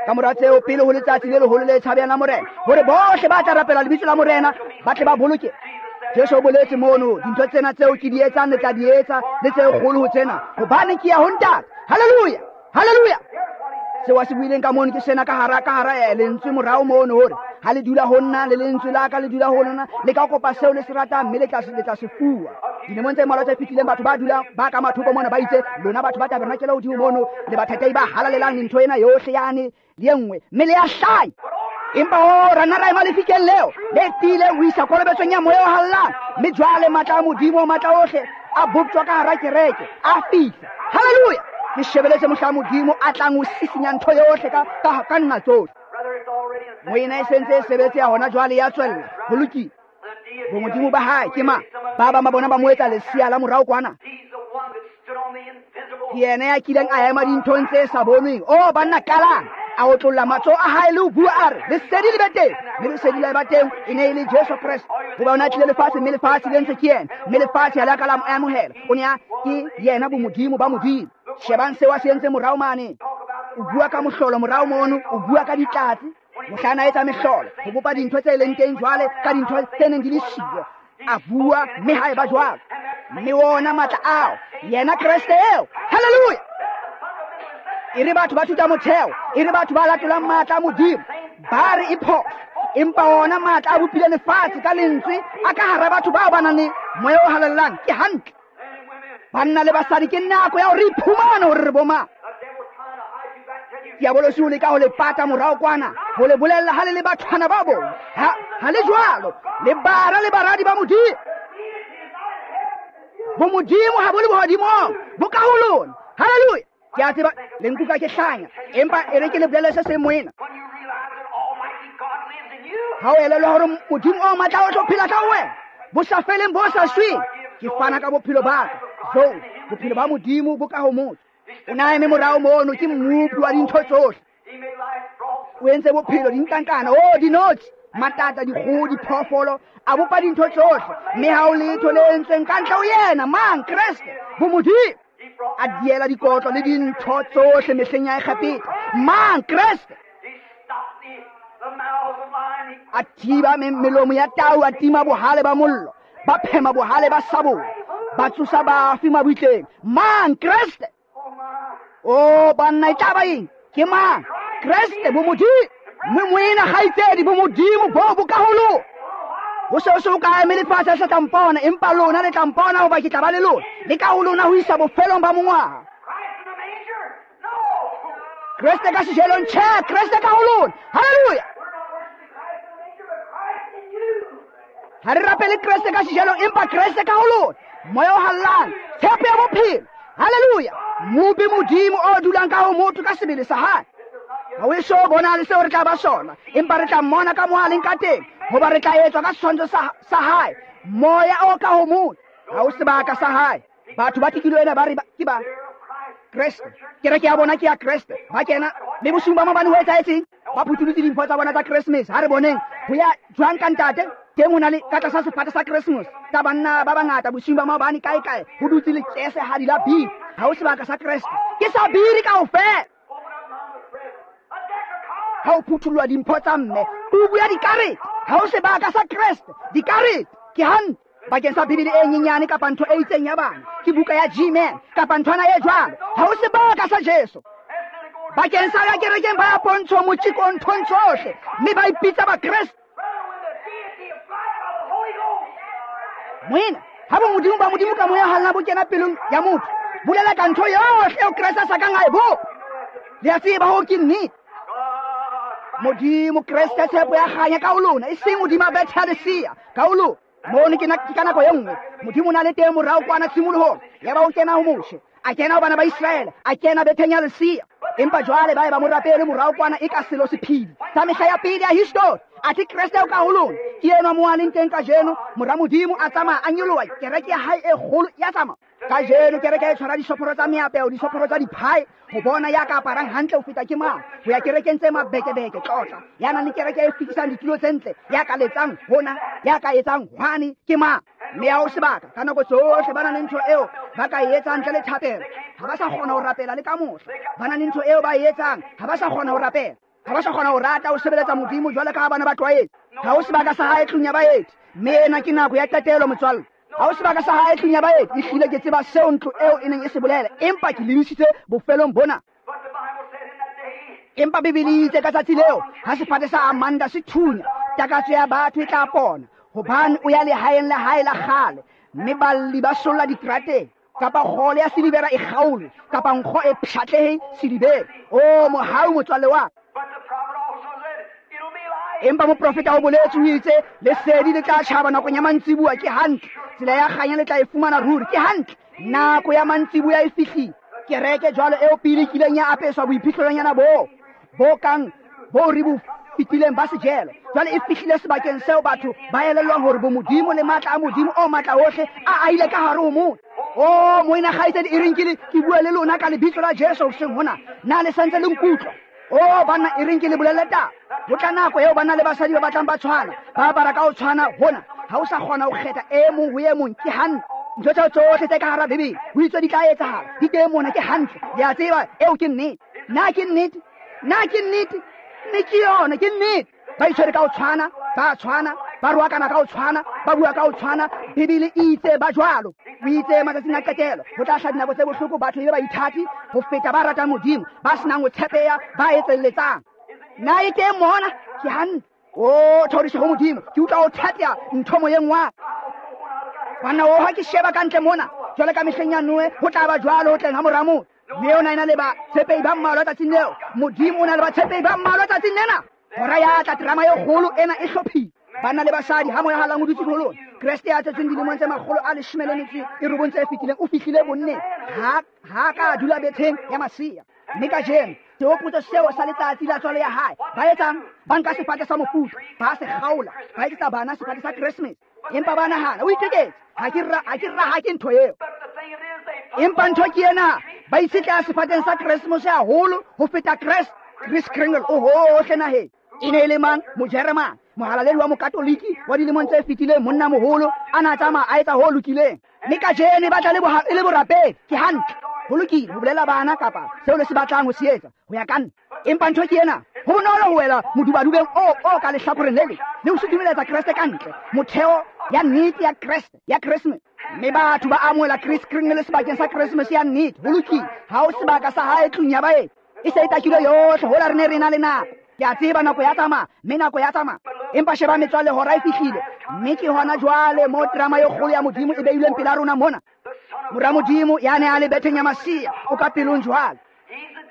Ka mora tseo, pele ho letsatsi le leholo le tshabehang la Morena, hore bohle ba tla rapela lebitso la Morena ba tle ba boloke. Jesu o boletse mono, dintho tsena tseo ke di etsang le tla di etsa, le tse kgolo ho tsena, hobane ke ya ho Ntate. Hallelujah, hallelujah. Seo a se buileng ka mono ke sena ka hara, ka hara, eh, lentswe morao mono, hore ha le dula ho nna le lentswe la ka le dula ho lona, le ka kopa seo le se ratang, mme le tla se, le tla se fuwa. Dilemong tse mmalwa tse fetileng, batho ba dulang ba ka mathoko mona ba itse, lona batho ba tabernakele hodimo mono, le bathatei ba halalelang le ntho ena yohle yane le e nngwe, mme le ya hlanya. Empa ho ra nna ra ema lefikeng leo le tiileng ho isa kolobetsong ya moya o halalelang, mme jwale matla a Modimo matla ohle a boptjwa ka hara kereke, a fihla. Hallelujah. Ke shebeletse mohla Modimo a tlang ho sisinya ntho yohle ka, ka, ka nna tsohle. Moena e sentse e sebetse ya hona jwale ya tswella. Ho lokile. Bomodimo ba hae ke mang? Ba bang ba bona ba mo etsa lesea la morao kwana. Ke yena ya kileng a ema dinthong tse sa bonweng. Oh, banna, qalang. A otlolla matsoho a hae le ho bua a re, lesedi le be teng. Mme lesedi la eba teng, e ne e le Jesu Kreste. Hoba o ne a tlile lefatsheng, mme lefatshe le entswe ke yena, mme lefatshe ha le a ka la mo amohela. O ne a ke yena bomodimo ba Modimo. Shebang seo a se entse morao mane. O bua ka mohlolo morao mono, o bua ka ditlatse. Mohla a etsa mehlolo, ho bopa dintho tse leng teng jwale ka dintho tse neng di le siyo. A bua, mme ha eba jwalo. Mme wona matla ao, yena Kreste eo. Hallelujah. E re batho ba thuta motheo, e re batho ba latolang matla a Modimo, ba re e phoso. Empa wona matla a bopile lefatshe ka lentswe a ka hara batho bao ba nang le moya o halalelang. Ke hantle. Banna le basadi, ke nako ya hore re iphumane hore re bo mang. Diabolosi o leka ho le pata morao kwana, ho le bolella ha le le bathwana ba bong. Ha, ha le jwalo, le bara le baradi ba Modimo. Bomodimo ha bo le bohodimong, bo ka ho lona. Hallelujah. Ke a tseba le nkutlwa ke hlanya, empa e re ke le bolelle se seng moena. Ha o elellwa hore Modimo o matla o tlo phela ka ho wena, bo sa feleng bo sa shweng, ke fana ka bophelo ba ka. Jo, bophelo ba Modimo bo ka ho motho. O na eme morao mono, ke mmopi wa dintho tsohle. O entse bophelo dinkankana, oh dinotshi, matata, dikgoho, diphoofolo, a bopa dintho tsohle, mme ha o letho le entsweng ka ntle ho yena, mang? Kreste, bomodimo. A diela dikotlo le dintho tsohle mehleng ya Egepeta, mang? Kreste. A thiba melomo ya tau, a tima bohale ba mollo, ba phema bohale ba sabole, ba tsosa bafi mabitleng, mang? Kreste. O banna e tla ba eng? Ke mang? Kreste, bomodimo. Mme moena kgaitsedi, bomodimo bo bo ka ho lona. Ho se ho se ho kae mme lefatshe le sa tla mpona, empa lona le tla mpona, hoba ke tla ba le lona, le ka ho lona ho isa bofelong ba mongwaha. Kreste ka sejelong, tjhe, Kreste ka ho lona. Haleluya! Ha re rapele Kreste ka sejelong, empa Kreste ka ho lona. Moya o hallang, tshepo ya bophelo. Haleluya! Mopi Modimo o dulang ka ho motho ka sebele sa hae. Ha o eso bona le seo re tla ba sona, empa re tla mmona ka moo a leng ka teng, hoba re tla etswa ka setshwantsho sa, sa hae. Moya o ka ho motho, ha o sebaka sa hae. Batho ba tikilo ena ba re ke ba Kreste. Kereke ya bona ke ya Kreste. Ba kena, mme bosiung ba maobane ho etsahetseng? Ba phutholotse dimpho tsa bona tsa Christmas. Ha re boneng ho ya jwang ka ntate, teng ho na le ka tlasa sefate sa Christmas tsa banna ba bangata bosiung ba maobane kae kae, ho dutse lekesehadi la biri. Ha o sebaka sa Kreste, ke sa biri kaofela. Ha o phuthullwa dimpho tsa mme, tubu ya dikarete, ha o sebaka sa Kreste, dikarete ke hantle bakeng sa Bibele e nyenyane kapa ntho e itseng ya bana, ke buka ya G-Man kapa nthwana e jwalo. Ha o sebaka sa Jesu. Bakeng sa ya kerekeng ba ya pontsho motjeko nthong tsohle, mme ba ipitsa Bakreste. Moena, ha bo Modimo ba Modimo ka moya halna bo kena pelong ya motho, bolela ka ntho yohle eo Kreste a sa kang a e bopa. Le a tseba hoo ke nnete. Modimo Kreste tshepo ya kganya ka ho lona, e seng hodima bethe ya lesea ka ho lona. Mono ke ka nako e nngwe Modimo o na le teng morao kwana tshimolohong, ya ba o kena ho Moshe, a kena ho bana ba Iseraele, a kena betheng ya lesea. Empa jwale ba e ba mo rapele morao kwana e ka selo sephiri sa mehla ya pele ya history. Athe Kreste o ka ho lona, ke enwa mo a leng teng kajeno. Mora Modimo a tsamaya a nyoloha, kereke ya hae e kgolo ya tsamaya. Kajeno kereke e tshwara disophoro tsa meapeo, disophoro tsa diphae, ho bona ya ka aparang hantle ho feta ke mang, ho ya kerekeng tse mabekebeke, tlotla ya nang le kereke e fetisang ditulo tse ntle, ya ka letsang hona, ya ka etsang hwane ke mang. Mme ha ho sebaka ka nako tsohle ba na le ntho eo ba ka e etsang ntle le thapelo. Ha ba sa kgona ho rapela le ka mohla. Ba na le ntho eo ba e etsang, ha ba sa kgona ho rapela. Ha ba sa kgona ho rata ho sebeletsa Modimo jwalo ka ha bana ba tlwaetse. Ha ho sebaka sa hae tlung ya baeti, mme ena ke nako ya qetelo motswalle. Ha ho sebaka sa hae tlung ya baeti, ehlile ke tseba seo ntlo eo e neng e se bolela, empa ke lebisitse bofelong bona. Empa Bibele e itse ka tsatsi leo, ha sefate sa Amanda se thunya, takatso ya batho e tla pona, hobane o ya lehaeng la hae la kgale, mme balli ba solla diterateng, kapa kgole ya silivera e kgaolwe, kapa nkgo e pshatlehe silivera. O mohau motswalle wa ka. Empa moprofeta o boletse o itse lesedi le tla tjhaba nakong ya mantsibuya. Ke hantle, tsela ya kganya le tla e fumana ruri. Ke hantle, nako ya mantsibuya e fihlile. Kereke jwalo eo pele kileng ya apeswa boiphihlelonyana bo bo kang bo re bo fetileng ba sejelo, jwale e fihlile sebakeng seo batho ba elellwang hore bomodimo le matla a Modimo o matla ohle a aile ka hare ho motho. O moena kgaitsedi, e reng ke le ke bue le lona ka lebitso la Jesu hoseng hona, na le santse le nkutlwa? O banna, e reng ke le bolelle taba. Ho tla nako eo banna le basadi ba batlang ba tshwana, ba apara ka ho tshwana hona. Ha o sa kgona ho kgetha e mong ho e mong, ke hantle. Ntho tseo tsohle tse ka hara Bibele ho itswe di tla etsahala, di teng mona, ke hantle. Le a tseba eo ke nnete. Na ke nnete? Na ke nnete? Mme ke yona, ke nnete. Ba itshwere ka ho tshwana, ba tshwana, ba roakana ka ho tshwana, ba bua ka ho tshwana. Bibele e itse ba jwalo. O itse matsatsing a qetelo ho tla hlaha dinako tse bohloko, batho e be baithati ho feta ba ratang Modimo, ba senang ho tshepeha, ba etselletsang. Na e teng mona? Ke hantle. O thoriso ho Modimo, ke utlwa ho thateha ntho moyeng wa ka. Banna, o ha ke sheba ka ntle mona, jwale ka mehleng ya Noe, ho tla ba jwalo ho tleng ha mora motho. Mme o na ena le batshepehi ba mmalwa tsatsing leo. Modimo o na le batshepehi ba mmalwa tsatsing lena. Hora ya tla, terama e kgolo ena e hlophile. Banna le basadi, ha moya halang o dutse ho lona, Kreste ya tswetsweng dilemong tse makgolo a leshome le metso e robong tse fetileng o fihlile bonneng, ha ha ka dula betheng ya masea. Mme kajeno sehopotso seo sa letsatsi la tswalo ya hae, ba etsang? Ba nka sefate sa mofuta, ba se kgaola, ba etsetsa bana sefate sa Christmas. Empa ba nahana o iteketse, ha ke ra ha ke ra ha ke ntho eo. Empa ntho ke ena, ba itshetleha sefateng sa Christmas haholo ho feta Kreste. Kris Kringle o hohle naheng. E ne e le mang? Mojeremane, mohalaledi wa mokatoliki wa dilemong tse fetileng, monna moholo a na tsamaya a etsa ho lokileng. Mme kajeno e batla e le borapedi. Ke hantle, ho lokile ho bolela bana kapa seo le se batlang ho se etsa ho ya ka nna. Empa ntho ke ena, ho bonolo ho wela modubadubeng o o ka lehlakoreng le leng le ho sutumeletsa Kreste ka ntle, motheo ya nnete ya Kreste ya Christmas. Mme batho ba amohela Kris Kringle sebakeng sa Christmas ya nnete. Ho lokile, ha ho sebaka sa hae tlung ya baeti. E se e takilwe yohle, hola re ne re na le nako. Ke a tseba nako ya tsamaya, mme nako ya tsamaya. Empa sheba metswalle, hora e fihlile, mme ke hona jwale mo drama e kgolo ya Modimo e beilweng pela rona mona. Mora Modimo ya ne a le betheng ya masea o ka pelong jwale.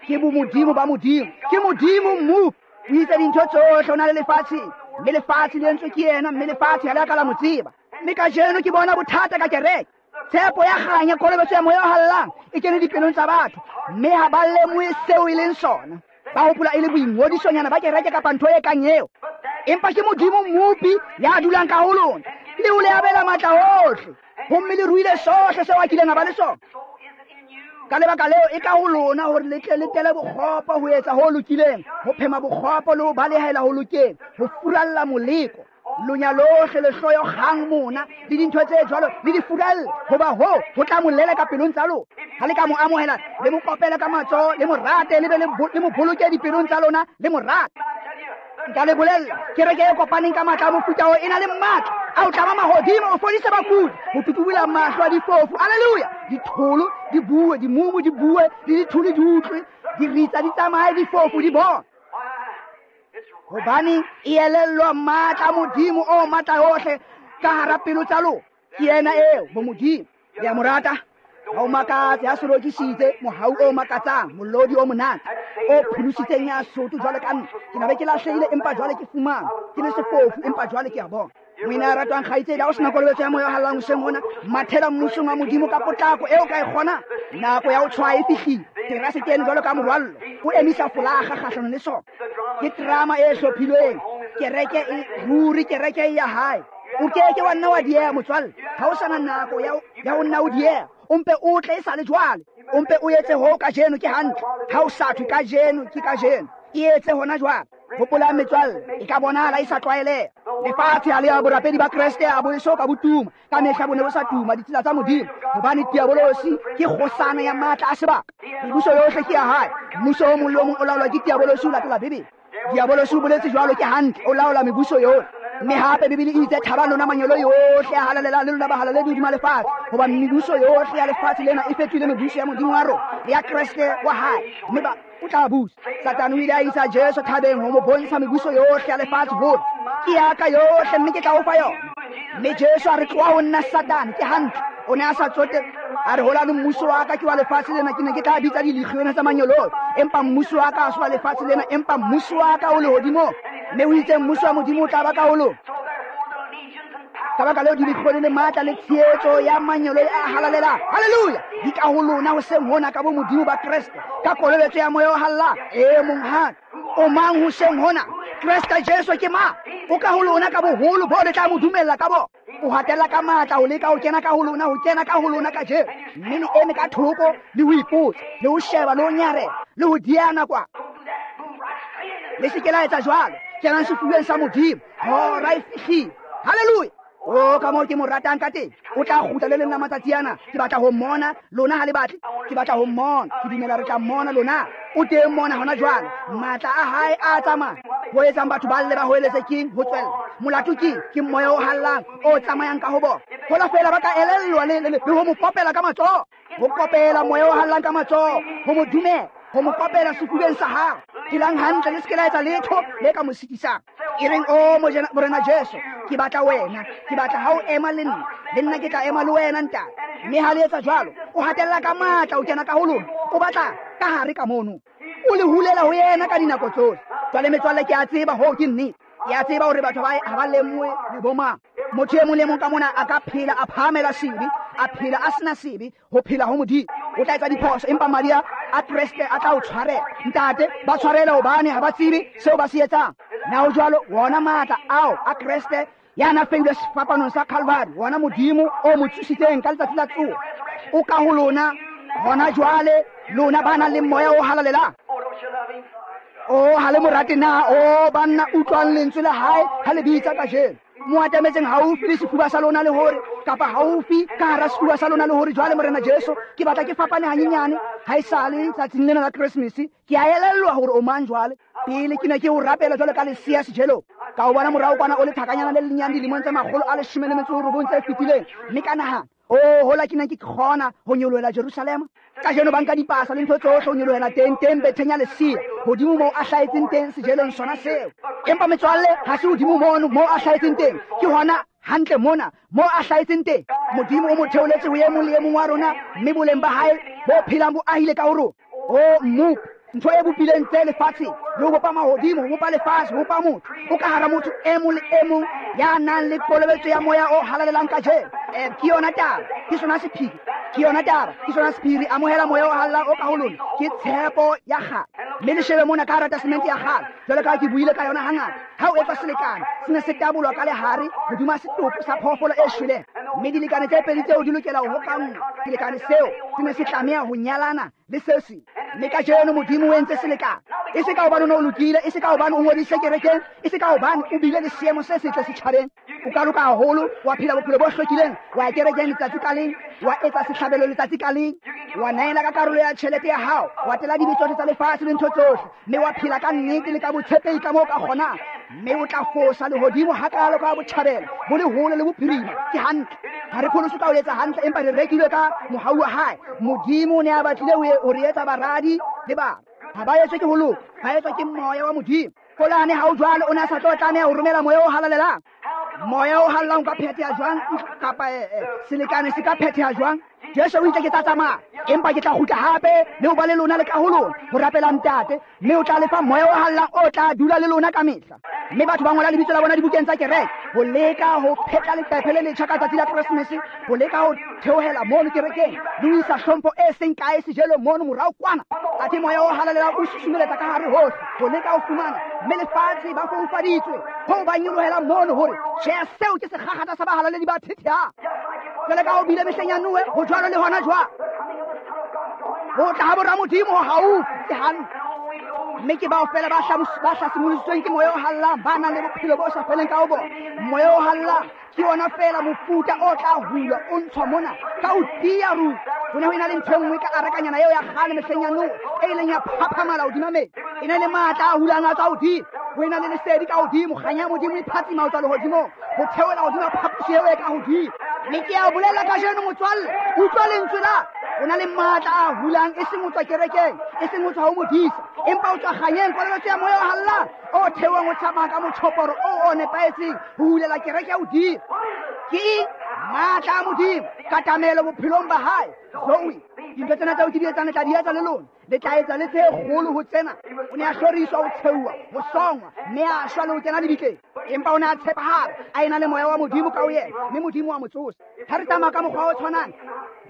Ke bomodimo ba Modimo, ke Modimo mmopi. O itse dintho tsohle o na le lefatsheng, mme lefatshe le entswe ke yena, mme lefatshe ha le a ka la mo tseba. Mme kajeno ke bona bothata ka kereke. Tshepo ya kganya, kolobetso ya moya o hallang e kene dipelong tsa batho, mme ha ba lemohe seo e leng sona. Ba hopola e le boingodisonyana ba kereke kapa ntho e kang eo. Empa ke Modimo mmopi ya dulang ka ho lona, le o le abela matla ohle, homme le ruile sohle seo a kileng a ba le sona. Ka lebaka leo e ka ho lona hore le tle le tele bokgopo ho etsa ho lokileng, ho phema bokgopo le ho balehela ho lokeng, ho furalla moleko. Lonya lohle, lehloyo, kgang, mona le dintho tse jwalo, le di furalle, hoba hoo ho tla mo leleka pelong tsa lona. Ha le ka mo amohela, le mo kopele ka matsoho, le mo rate, le be le mo boloke dipelong tsa lona, le mo rate. Nka le bolella, kereke e kopaneng ka matla a mofuta oo e na le matla a ho tlama mahodimo, ho fodisa bakudi, ho tutubula mahlo a difofu. Haleluya! Ditholo di bue, dimumu di bue, le ditholo di utlwe, diritsa di tsamaye, difofu di bone. Hobane e elellwa matla a Modimo o matla ohle ka hara pelo tsa lona. Ke yena eo, bo Modimo. Le a mo rata? Ha o makatse ha se lokisitse mohau o makatsang, molodi o monate o pholositseng ya sotho jwalo ka nna. Ke na be ke lahlehile, empa jwale ke fumana. Ke le sefofu, empa jwale ke a bona. Moena ya ratwang kgaitsedi, ha o sena kolobetso ya moya o hallang hoseng hona, mathela mmusong wa Modimo ka potlako eo ka e kgonang. Nako ya ho tshwaya e fihlile. Terase ke eno jwalo ka morwallo, o emisa folaga kgahlanong le sona. Ke drama e hlophilweng. Kereke e ruri, kereke e ya hae. O keke wa nna wa dieha motswalle. Ha o sana nako ya ya ho nna o dieha, o mpe o tle e sale jwale. O mpe o etse ho kajeno, ke hantle. Ha o sa thwe kajeno, ke kajeno. E etse hona jwale. Hopola metswalle, e ka bonahala e sa tlwaeleha. Lefatshe ha le ya borapedi ba Kreste a bo eso ka botuma. Ka mehla bo ne bo sa tuma ditsela tsa Modimo, hobane diabolosi ke kgosana ya matla a sebaka. Mebuso yohle ke ya hae. Mmuso o mong le o mong o laolwa ke diabolosi ho latela Bibele. Diabolosi o boletse jwalo, ke hantle, o laola mebuso yohle. Mme hape Bibele e itse, thabang lona manyolo yohle a halalelang le lona bahalaledi hodima lefatshe, hoba mebuso yohle ya lefatshe lena e fetohile mebuso ya Modimo wa rona le ya Kreste wa hae, mme ba o tla busa. Satane o ile a isa Jesu thabeng ho mo bontsha mebuso yohle ya lefatshe, hore ke ya ka yohle, mme ke tla o fa yona. Mme Jesu a re, tloha ho nna Satane. Ke hantle, o ne a sa tsote. A re, holane mmuso wa ka ke wa lefatshe lena, ke ne ke tla bitsa dilegione tsa manyoloi, empa mmuso wa ka ha se wa lefatshe lena, empa mmuso wa ka o lehodimong. Mme o itse mmuso wa Modimo o tla ba ka ho lona. Ka baka leo dilegione le matla le tshehetso ya manyoloi a halalelang, haleluya, di ka ho lona hoseng hona ka bo Modimo ba Kreste, ka kolobetso ya moya o hallang. E monghadi, o mang hoseng hona? Kreste Jesu ke mang? O ka ho lona ka boholo bo le tla mo dumella ka bona. O hatella ka matla ho leka ho kena ka ho lona, ho kena ka ho lona kajeno. Mme le eme ka thoko le ho ipotsa, le ho sheba, le ho nyarela, le ho diana kwa. Le se ke la etsa jwalo. Kenang sefubeng sa Modimo. Hora e fihlile. Haleluya! O ka moo ke mo ratang ka teng. O tla kgutla le leng la matsatsi ana. Ke batla ho mmona, lona ha le batle. Ke batla ho mmona. Ke dumela re tla mmona lona. O teng mona hona jwale. Matla a hae a tsamaya. Ho etsang batho ba lle ba hoeletse keng? Ho tswella. Molato keng? Ke moya o hallang, o tsamayang ka ho bona. Hola feela ba ka elellwa le, le, le ho mo kopela ka matsoho. Ho kopela moya o hallang ka matsoho, ho mo dumela, ho mo kopela sefubeng sa hao. Phelang hantle, le se ke la etsa letho le ka mo sitisang. E reng, o Morena Jesu, ke batla wena, ke batla ha o ema le nna, le nna ke tla ema le wena ntate. Mme ha le etsa jwalo, o hatella ka matla o kena ka ho lona, o batla ka hare ka mono. O le hulela ho yena ka dinako tsohle. Jwale metswalle, ke a tseba hoo ke nnete. Ke a tseba hore batho ba ha ba lemohe le bo mang. Motho e mong le mong ka mona a ka phela a phahamela sebe, a phela a sena sebe, ho phela ho Modimo. O tla etsa diphoso, empa madi a Kreste a tla o tshwarela. Ntate, ba tshwarele hobane ha ba tsebe seo ba se etsang. Na ho jwalo? Wona matla ao a Kreste ya na feilwe sefapanong sa Calvary, wona Modimo o mo tsositseng ka letsatsi la tsoho, o ka ho lona hona jwale, lona ba nang le moya o halalelang. O ha le mo rate na? O banna, utlwang lentswe la hae ha le bitsa kajeno. Mo atametseng haufi le sefuba sa lona le hore, kapa haufi ka hara sefuba sa lona le hore, jwale Morena Jesu, ke batla ke fapane hanyenyane ha esale tsatsing lena la Christmas. Ke a elellwa hore o mang jwale. Pele ke ne ke o rapela jwale ka lesea sejelong, ka o bona morao kwana o le thakanyana le lenyane dilemong tse makgolo a leshome le metso e robong tse fetileng, mme ka nahana, o hola ke ne ke kgona ho nyolohela Jerusalema. Kajeno ba nka dipasa le ntho tsohle ho nyolohela teng, teng betheng ya lesea, hodimo moo a hlahetseng teng sejelong sona seo. Empa metswalle, ha se hodimo mono moo a hlahetseng teng, ke hona hantle mona moo a hlahetseng teng. Modimo o mo theoletse ho e mong le e mong wa rona, mme boleng ba hae bo phelang bo ahile ka ho rona. O mmopi, ntho e bopileng tse lefatsheng, le ho bopa mahodimo, ho bopa lefatshe, ho bopa motho, o ka hara motho e mong le e mong ya nang le kolobetso ya moya o halalelang kajeno. Eh, ke yona taba, ke sona sephiri, ke yona taba, ke sona sephiri. Amohela moya o halalelang o ka ho lona, ke tshepo ya kgale. Mme le shebe mona ka hara testamente ya kgale, jwalo ka ha ke buile ka yona hangata. Ha o etswa selekane, se ne se tabolwa ka lehare hodima setopo sa phoofolo e shweleng, mme dilekane tse pedi tseo di lokela ho hokanngwa. Selekane seo se ne se tlameha ho nyalana le se seng. Mme kajeno Modimo o entse selekane, e se ka hobane o ne o lokile, e se ka hobane o ngodisitse kerekeng, e se ka hobane o bile le seemo se setle setjhabeng. O ka loka haholo, wa phela bophelo bo hlwekileng, wa ya kerekeng letsatsi ka leng, wa etsa sehlabelo letsatsi ka leng, wa neela ka karolo ya tjhelete ya hao, wa tela dibe tsohle tsa lefatshe le ntho tsohle, mme wa phela ka nnete le ka botshepehi ka moo ka kgonang, mme o tla fosa lehodimo hakalo ka botjhabela bo le hole le bophirima. Ke hantle. Ha re pholoswe ka ho etsa hantle, empa re rekilwe ka mohau wa hae. Modimo o ne a batlile ho re etsa baradi le bana. Ha ba etswe ke ho loka, ba etswa ke moya wa Modimo. Kolane ha o jwalo, o ne a sa tlo tlameha ho romela moya o halalelang. Moya o halalelang o ka phetheha jwang, kapa selekane se ka phetheha jwang? Jesu o itse, ke tla tsamaya, empa ke tla kgutla hape le ho ba le lona le ka ho lona, ho rapela Ntate, mme o tla lefa moya o halalelang o tla dula le lona ka mehla. Mme batho ba ngola lebitso la bona dibukeng tsa kereke, ho leka ho phetla leqephe le letjha ka tsatsi la Keresemese, ho leka ho theohela mono kerekeng le ho isa hlompho e seng kae sejelong mono morao kwana. Athe moya o halalelang o susumeletsa ka hare hohle ho leka ho fumana, mme lefatshe ba foufaditswe hoo ba nyolohela mono hore tjhe, seo ke sekgakgatha sa bahalaledi ba thethehang. Jwale ka ho bile mehleng ya Noe, ho jwalo le hona jwale. Ho tla ha bora Modimo ho haufi, ke hantle. Mme ke bao fela ba hlasimolositsweng ke moya o halalelang, ba nang le bophelo bo sa feleng ka ho bona. Moya o halalelang ke yona fela mofuta o tla hulwa o ntshwa mona ka ho tiya ruri. Ho ne ho ena le ntho e nngwe ka arakanyana eo ya kgale mehleng ya Noe, e ileng ya phaphamala hodima metsi. E na le matla a hulang a tswa hodimo, ho ena le lesedi ka hodimo, kganya ya Modimo e phatsima ho tswa lehodimong, ho theohela hodima phaposi eo e ka hodimo. Mme ke a o bolella kajeno motswalle, utlwa lentswe la o na le matla a hulang, e seng ho tswa kerekeng, e seng ho tswa ho modisa, empa o tswa kganyeng, kolobetso ya moya o halalelang o theohang o tsamaya ka motjhoporo o o nepahetseng ho hulela kereke ya hodimo. Ke eng? Matla a Modimo, katamelo bophelong ba hae. Zoe, dintho tsena tseo ke di etsang le tla di etsa le lona, le tla etsa le tse kgolo ho tsena. O ne a hloriswa, ho tsheuwa, ho songwa, mme a shwa le ho kena lebitleng, empa o ne a tshepahala, a ena le moya wa Modimo ka ho yena, mme Modimo wa mo tsosa. Ha re tsamaya ka mokgwa o tshwanang,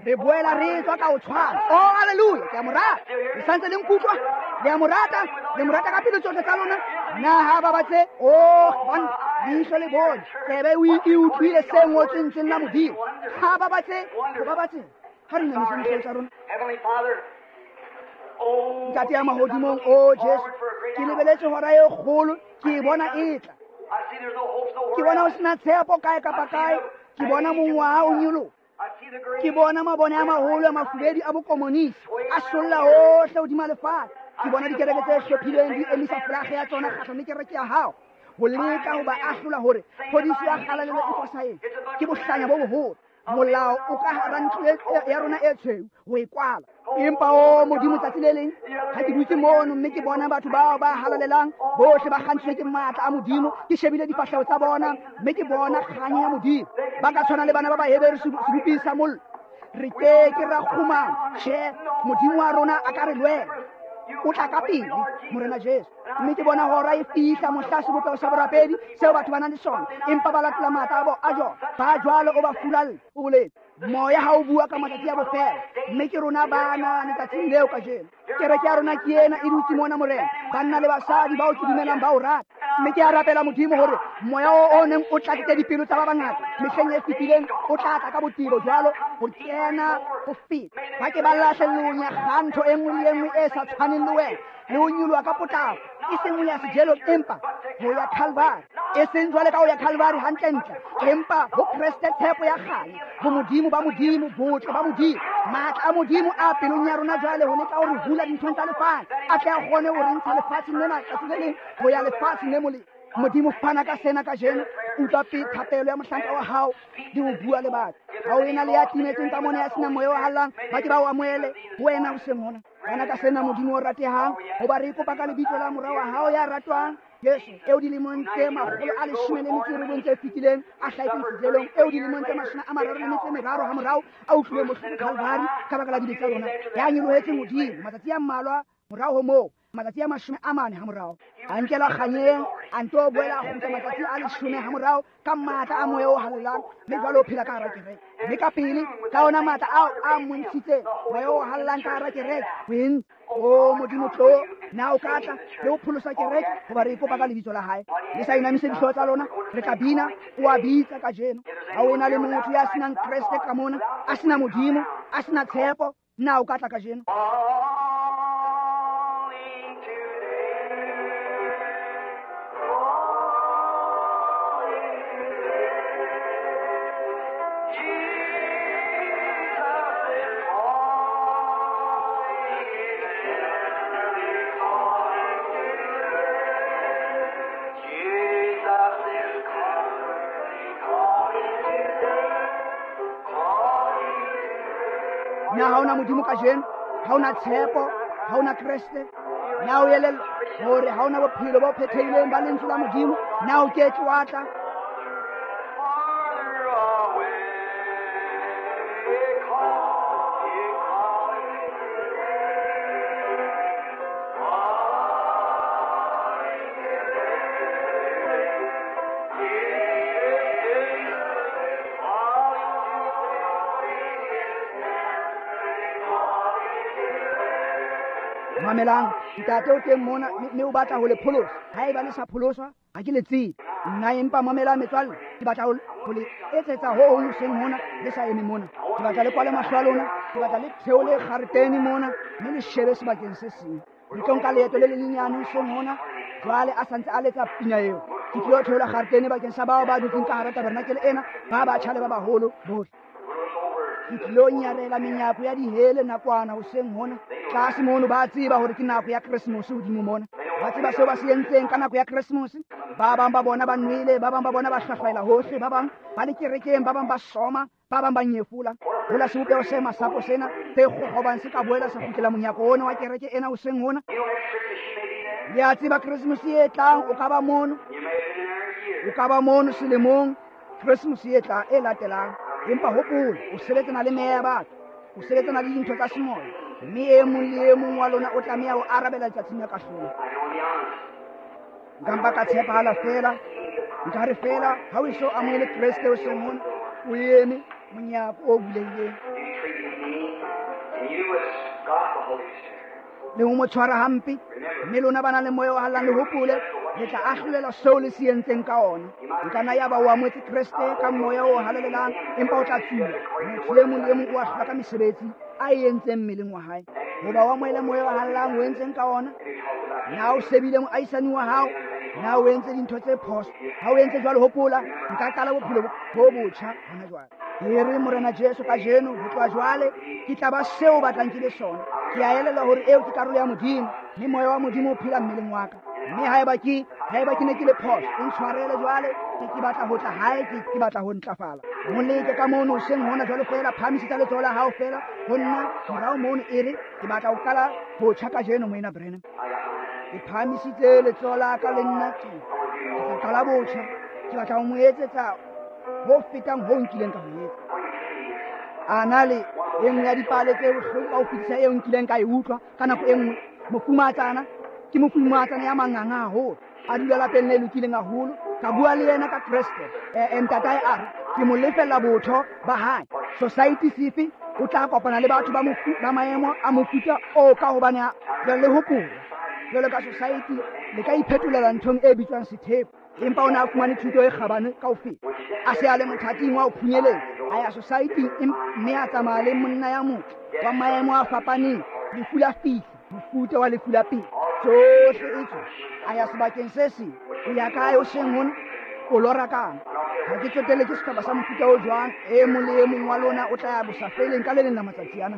re boela re tswa ka ho tshwana. Oh, hallelujah, ke a mo rata. Le santse le nkutlwa? Le a mo rata? Le mo rata ka pelo tsohle tsa lona? Na ha ba batle? Oh, banna, leihlo le bone, tsebe e utlwile se ngotsweng lentsweng la Modimo. Ha ba batle? Ho ba batle? Ha re inamiseng dihlooho tsa rona. Ntate ya mahodimong, o Jesu, ke lebeletse hora e kgolo, ke e bona e tla. Ke bona ho sena tshepo kae kapa kae, ke bona mongwaha o nyoloha. Ke bona mabone a maholo a mafubedu a bokomonisi a solla hohle hodima lefatshe. Ke bona dikereke tse hlophilweng di emisa folaga ya tsona kgahlano le kereke ya hao, ho leka ho ba ahlola hore phodiso ya kgalalelo e fosahetse. Ke bohlanya bo boholo. Molao o ka hara ntlo ya rona e tshweu ho e kwala. Empa o Modimo, tsatsi le leng ha ke dutse mono mme ke bona batho bao ba halalelang bohle ba kgantshitswe ke matla a Modimo, ke shebile difahleho tsa bona mme ke bona kganya ya Modimo. Ba ka tshwana le bana ba Baheberu seboping sa mollo. Re ke ke ra kgumama. Tjhe, Modimo wa rona a ka re lwela. O tla ka pele, Morena Jesu. Mme ke bona hora e fihla mohla sebopeho sa borapedi seo batho ba nang le sona, empa ba latola matla a bo a jona. Ba jwalo o ba furalle, o boletse. Moya ha o bua ka matsatsi a bofelo, mme ke rona bana letsatsing leo kajeno. Kereke ya rona ke ena e dutse mona, Morena, banna le basadi bao ke dumelang ba o rata. Mme ke a rapela Modimo hore moya o o neng o tlatsitse dipelo tsa ba bangata mehleng e fetileng o tla tla ka botebo jwalo ho kena ho feta. Ba ke ba lahle lonya kgantho e nngwe le e nngwe e sa tshwaneng le wena, le ho nyoloha ka potlako, e seng ho ya sejelong empa ho ya Calvary. E seng jwale ka ho ya Calvary hantlentle, empa ho Kreste tshepo ya kganya, bomodimo ba Modimo, botle ba Modimo, matla a Modimo a pelong ya rona jwale ho leka ho re hula dinthong tsa lefatshe, a tle a kgone ho re ntsha lefatsheng lena tsatsi le leng ho ya lefatsheng le molemo. Modimo fana ka sena kajeno, utlwa pe thapelo ya mohlanka wa hao le ho bua le batho. Ha o ena le ya timetseng ka mona ya senang moya o hallang, ba ke ba o amohele ho wena hoseng hona. Fana ka sena Modimo o ratehang, hoba re kopa ka lebitso la mora wa hao ya ratwang Jesu, eo dilemong tse makgolo a leshome le metso e robong tse fetileng a hlahetseng sejelong, eo dilemong tse mashome a mararo le metso e meraro hamorao a utlwileng bohloko Calvary ka baka la dibe tsa rona, ya nyolohetseng hodimo matsatsi a mmalwa morao ho moo, matsatsi a mashome a mane hamorao a nkelwa kganyeng, a nto boela a kgutla matsatsi a leshome hamorao ka matla a moya o halalelang, mme jwale o phela ka hara kereke. Mme ka pele ka ona matla ao a montshitseng moya o halalelang ka hara kereke ho entse. O Modimo tlo, na o ka tla le ho pholosa kereke, hoba re kopa ka lebitso la hae. Le sa inamise dihlooho tsa lona, re tla bina, o a bitsa kajeno. Ha o ena le motho ya senang Kreste ka mona, a sena Modimo, a sena tshepo, na o ka tla kajeno? Na ha ona Modimo kajeno, ha ona tshepo, ha ona Kreste, na o elellwa hore ha ona bophelo bo phethehileng ba lentswe la Modimo, na o ke ke wa tla? Mamelang, ntate o teng mona mme o batla ho le pholosa. Haeba le sa pholoswa, ha ke le tsebe. Nna empa mamelang metswalle, ke batla ho le etsetsa ho hong hoseng hona le sa eme mona. Ke batla le kwale mahlo a lona, ke batla le theole kgaretene mona mme le shebe sebakeng se seng. Re tlo nka leeto le lenyenyane hoseng hona, jwale a santse a letsa pina eo. Ke tlilo theola kgaretene bakeng sa bao ba dutseng ka hara tabernakele ena, ba batjha le ba baholo bohle. Ke tlilo nyarela menyako ya dihele nakwana hoseng hona. Tlase mono ba tseba hore ke nako ya Keresemose hodimo mona. Ba tseba seo ba se entseng ka nako ya Keresemose. Ba bang ba bona ba nwele, ba bang ba bona ba hlahlaela hohle, ba bang ba le kerekeng, ba bang ba soma, ba bang ba nyefola. Hola sebopeho se masapo sena se kgokgobang se ka boela sa kgutlela monyako ona wa kereke ena hoseng hona. Le a tseba Keresemose e tlang o ka ba mono, o ka ba mono selemong Keresemose e tla e latelang. Empa hopola, o sebetsana le meya ya batho, o sebetsana le dintho tsa semoya, mme e mong le e mong wa lona o tlameha ho arabela letsatsing la kahlolo. Nka mpa ka tshepahala feela, nka re feela ha o eso amohele Kreste hoseng hona, o eme monyako o bulehileng. Le ho mo tshwara hampe, mme lona ba nang le moya o hallang le hopole, le tla ahlolelwa seo le se entseng ka ona. Nka nna ya ba o amohetse Kreste ka moya o halalelang, empa o tla tsuwa. Motho e mong le e mong o ahlolwa ka mesebetsi a e entseng mmeleng wa hae. Hoba o amohele moya o halalelang, o entseng ka ona? Na o sebile moahisani wa hao? Na o entse dintho tse phoso? Ha o entse jwalo, hopola, nka qala bophelo bo botjha hona jwale. Ke re Morena Jesu kajeno, ho tloha jwale ke tla ba seo o batlang ke le sona. Ke a elellwa hore eo ke karolo ya Modimo, mme moya wa Modimo o phela mmeleng wa ka. Mme haeba ke haeba ke ne ke le phoso, o ntshwarele jwale, ke ke batla ho tla hae, ke ke batla ho ntlafala. Mo leke ka mono hoseng hona jwale feela, phahamisetsa letsoho la hao feela ho nna morao mono, e re ke batla ho qala botjha kajeno, Moena Branham. Ke phahamisitse letsoho la ka le nna ke ke tla qala botjha, ke batla ho mo etsetsa ho fetang ho nkileng ka ho etsa. A na le e nngwe ya dipale tse bohloko ka ho fetisisa eo nkileng ka e utlwa ka nako e nngwe. Mofumatsana ke mofumatsana ya manganga haholo, a dula lapeng le lokileng haholo. Ka bua le yena ka Kreste. E ntatae a re ke mo lefella botho ba hae. Society sefe o tla kopana le batho ba mofu ba maemo a mofuta o ka hobane jwale le hopola jwalo ka society le ka iphetolela nthong e bitswang sethepu. Empa o ne a fumane thuto e kgabane kaofela, a se a le mothating wa ho phunyeletsa, a ya society mme a tsamaya le monna ya motle wa maemo a fapaneng. Lefu la fihla, mofuta wa lefu la pele, tsohle e tswa. A ya sebakeng se seng. O ya kae o seng hona? O lora kang? Ha ke tsotelle ke sehlopha sa mofuta o jwang. E mong le e mong wa lona o tla ya bosafeleng ka le leng la matsatsi ana.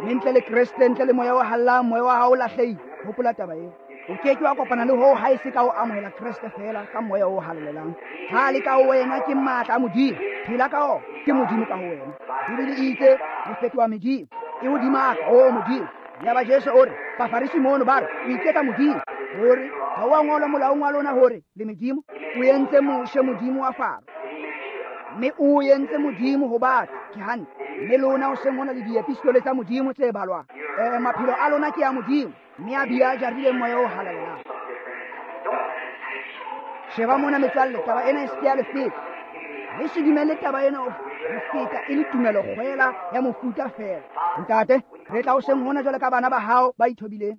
Mme ntle le Kreste, ntle le moya o hallang, moya wa hao o lahlehile. Hopola taba eo. O ke ke wa kopana le hoo ha e se ka o amohela Kreste feela ka moya o halalelang. Ha le ka ho wena ke matla a Modimo. Phela ka ona, ke Modimo ka ho wena. Bibele e itse re fetoha medimo. E hodima ka, o Modimo. Yaba Jesu o re, Bafarisi mono ba re, o iketsa Modimo. Hore ha o a ngolwa molaong wa lona hore le medimo. O entse Moshe modimo wa Faro, mme o entse modimo ho batho. Ke hantle. Mme lona o seng hona le diepistole tsa Modimo tse balwang. Eh, maphelo a lona ke a Modimo, mme a bile a jarile moya o halalelang. Sheba mona metswalle, taba ena e se ke ya le feta. Le se dumelle taba ena ho feta e le tumelo kgwela ya mofuta feela. Ntate, re tla o seng hona jwale ka bana ba hao ba ithobileng.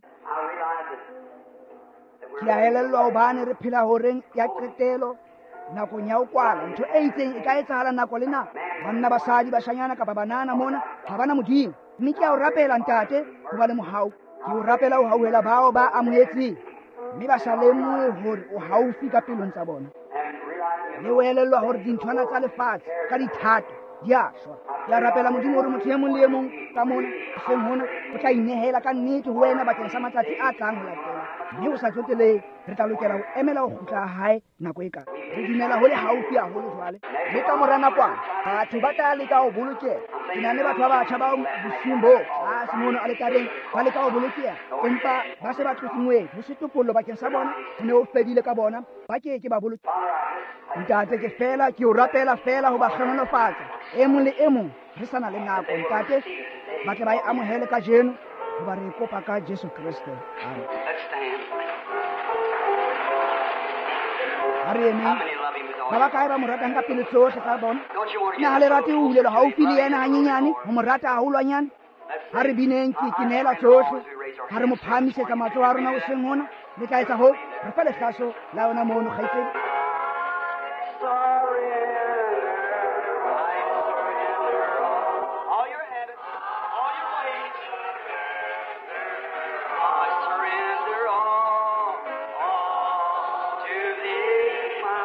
Ke a elellwa hobane re phela horeng ya qetelo, nakong ya ho kwala. Ntho e itseng e ka etsahala nako le nako. Banna, basadi, bashanyana kapa banana mona ha bana Modimo. Mme ke a o rapela ntate, ho ba le mohau. Ke o rapela ho hauhela bao ba amohetseng, mme ba sa lemohe hore o haufi ka pelong tsa bona. Le o elellwa hore dinthwana tsa lefatshe ka dithato di a shwa. Ke a rapela Modimo hore motho e mong le e mong ka mona hoseng hona o tla inehela ka nnete ho wena bakeng sa matsatsi a tlang ho latela. Mme o sa tsotelehe, re tla lokela ho emela ho kgutla ha hae nako e kae. Re dumela ho le haufi haholo jwale. Mme ka mora nakwana batho ba tla leka ho bolokeha. Ke na le batho ba batjha bao bosiung bo tlase mono aletareng ba leka ho bolokeha, empa ba se ba tlotse moedi. Ho se topollo bakeng sa bona, ho ne ho fedile ka bona, ba ke ke ba bolokeha. Ntate, ke fela ke o rapela fela ho ba hlohonolofatsa e mong le e mong. Re sa na le nako ntate, ba tle ba e amohele kajeno, hoba re e kopa ka Jesu Kreste. Amen. Ha re emeng. Ba ba kae ba mo ratang ka pelo tsohle tsa bona? Na ha le rate ho hulelwa haufi le yena hanyenyane, ho mo rata haholwanyane? Ha re bineng ke ke neela tsohle. Ha re mo phahamisetsa matsoho a rona hoseng hona, le tla etsa hoo. Re fa lehlaso la yona mono, kgaitsedi. All your habits, all your ways, I surrender all, all to thee, my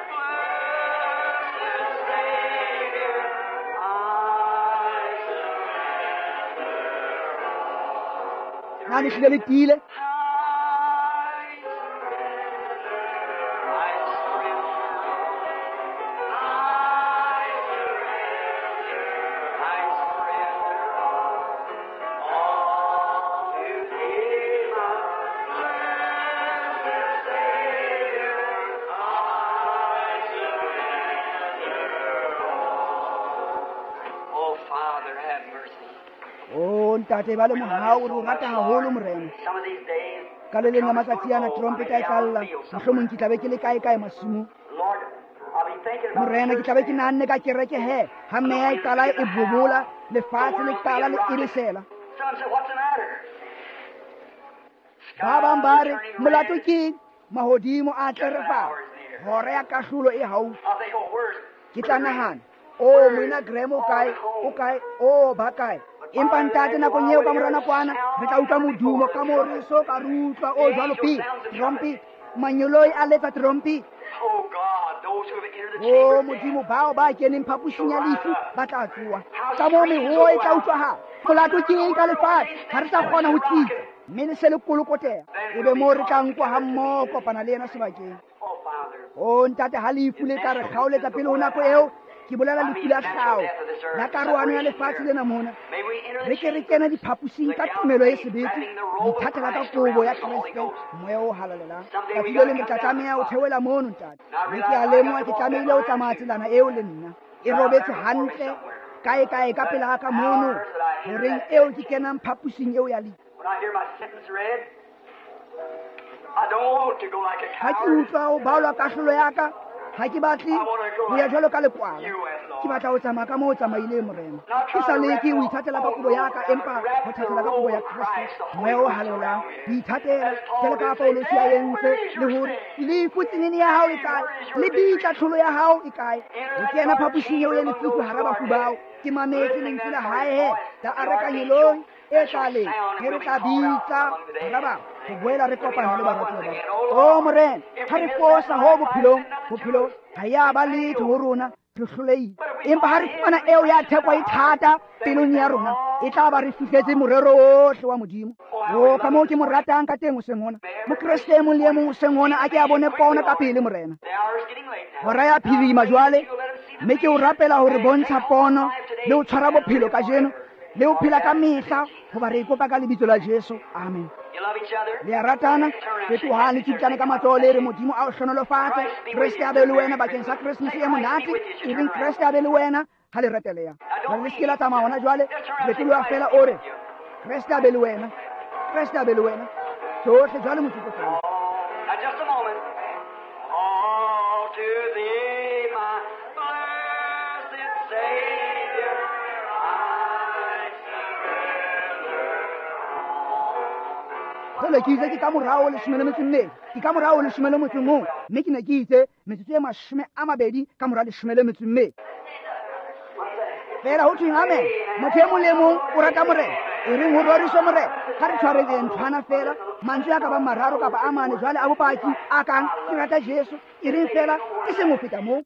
blessed Savior. I surrender all. Na le hlile le tiile? I surrender, I surrender, I surrender, I surrender all, all to thee, my blessed Savior. I surrender all. Oh, Father, have mercy. O ntate, ba le mohau, re o rata haholo Morena. Some of these days, Ka le leng la matsatsi ana trompeta e tla lla, mohlomong ke tla be ke le kae kae masimong. Lord, I'll be thinking about Morena, ke tla be ke nahanne ka kereke he, ha meya e qala e bobola, lefatshe le qala le eresela. Some say, what's the matter? Ba bang ba re, molato ke eng? Mahodimo a tlerefala, hora ya kahlolo e haufi. I'll think, oh, where's Ke tla nahana, o moena Graham o kae, o kae, o ba kae? Empa ntate, nakong eo ka mora nakwana re tla utlwa modumo ka moo re so ka re utlwa o jwalo pele. Trumpet, manyoloi a letsa trumpet. Oh God, those who have entered the O chamber of Modimo, bao ba keneng phaposing ya lefu ba tla tsoha. Ka moo mehoo e tla utlwahala. Molato ke eng ka lefatshe? Ha re sa kgona ho tsitsa, mme le se le kolokoteha. Ebe moo re tla nkwa ha mmoho kopana le yena sebakeng. Oh Father, O ntate, ha lefu le tla re kgaoletsa pele ho nako eo, ke bolela lefu la tlhaho la karohano ya lefatshe lena mona. may we enter Re the ke re kene diphaposing ka tumelo e sebete, re ithatela ka kobo ya Kreste, moya o halalelang. Tsatsi le leng re tla tlameha ho theohela mono, ntate. Mme ke a lemoha ke tlamehile ho tsamaya tselana eo le nna. E robetse hantle kae kae ka pela ka mono, horeng eo ke kenang phaposing eo ya lefu. Ha ke utlwa ho balwa kahlolo ya ka, ha ke batle ho ya jwalo ka lekwala. Ke batla ho tsamaya ka moo o tsamaileng, Morena. Ke sa leke ho ithatela ka kobo ya ka, empa ho thatela ka kobo ya Kreste, Moya o Halalelang. Ho ithatela jwalo ka Paulosi a entse, le hore lefu tsenene ya hao e kae, le bitla tlholo ya hao e kae. Ho kena phaposing eo e lefifi hara bafu bao, ke mametse lentswe la hae la arekangelong e tlaleng, ge re tla bitsa hara ba ho boela re kopana le baratuwa ba. O Morena, ha re fosa ho bophelong, bophelo ha ya ba letho ho rona, re hlolehile. Empa ha re fumana eo ya theko e thata pelong ya rona, e tla ba re fihletse morero ohle wa Modimo. O ka moo ke mo ratang ka teng hoseng hona. Mokreste e mong le e mong hoseng hona a ke a bone pono ka pele, Morena. Hora ya phirima jwale, mme ke o rapela hore bontsha pono le ho tshwara bophelo kajeno, le ho phela ka mehla, hoba re ikopa ka lebitso la Jesu. Amen. Le a ratana, fetohang le tsutlane ka matsoho le re Modimo a o hlohonolofatse. Kreste a be le wena bakeng sa Keresemese e monate. E reng Kreste a be le wena ha le reteleha. Jwale le se ke la tsamaya hona jwale, fetoloha fela o re Kreste a be le wena, Kreste a be le wena. Tsohle jwale motsotso fela. Now just a moment. All to thee, my blessed Savior, I surrender. Jwale ke itse ke ka morao leshome le metso e mmedi, ke ka morao leshome le motso o mong, mme ke ne ke itse metsotso e mashome a mabedi ka mora leshome le metso e mmedi. Fela ho thweng amen. Motho e mong le e mong o rata Morena. E reng ho roriswe Morena. Ha re tshwareng nthwana fela, mantswe a ka bang mararo kapa a mane jwale a bopaki a kang ke rata Jesu. E reng fela e seng ho feta moo.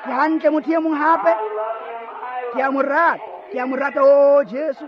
Ke hantle motho e mong hape. Ke a mo rata, ke a mo rata, o Jesu.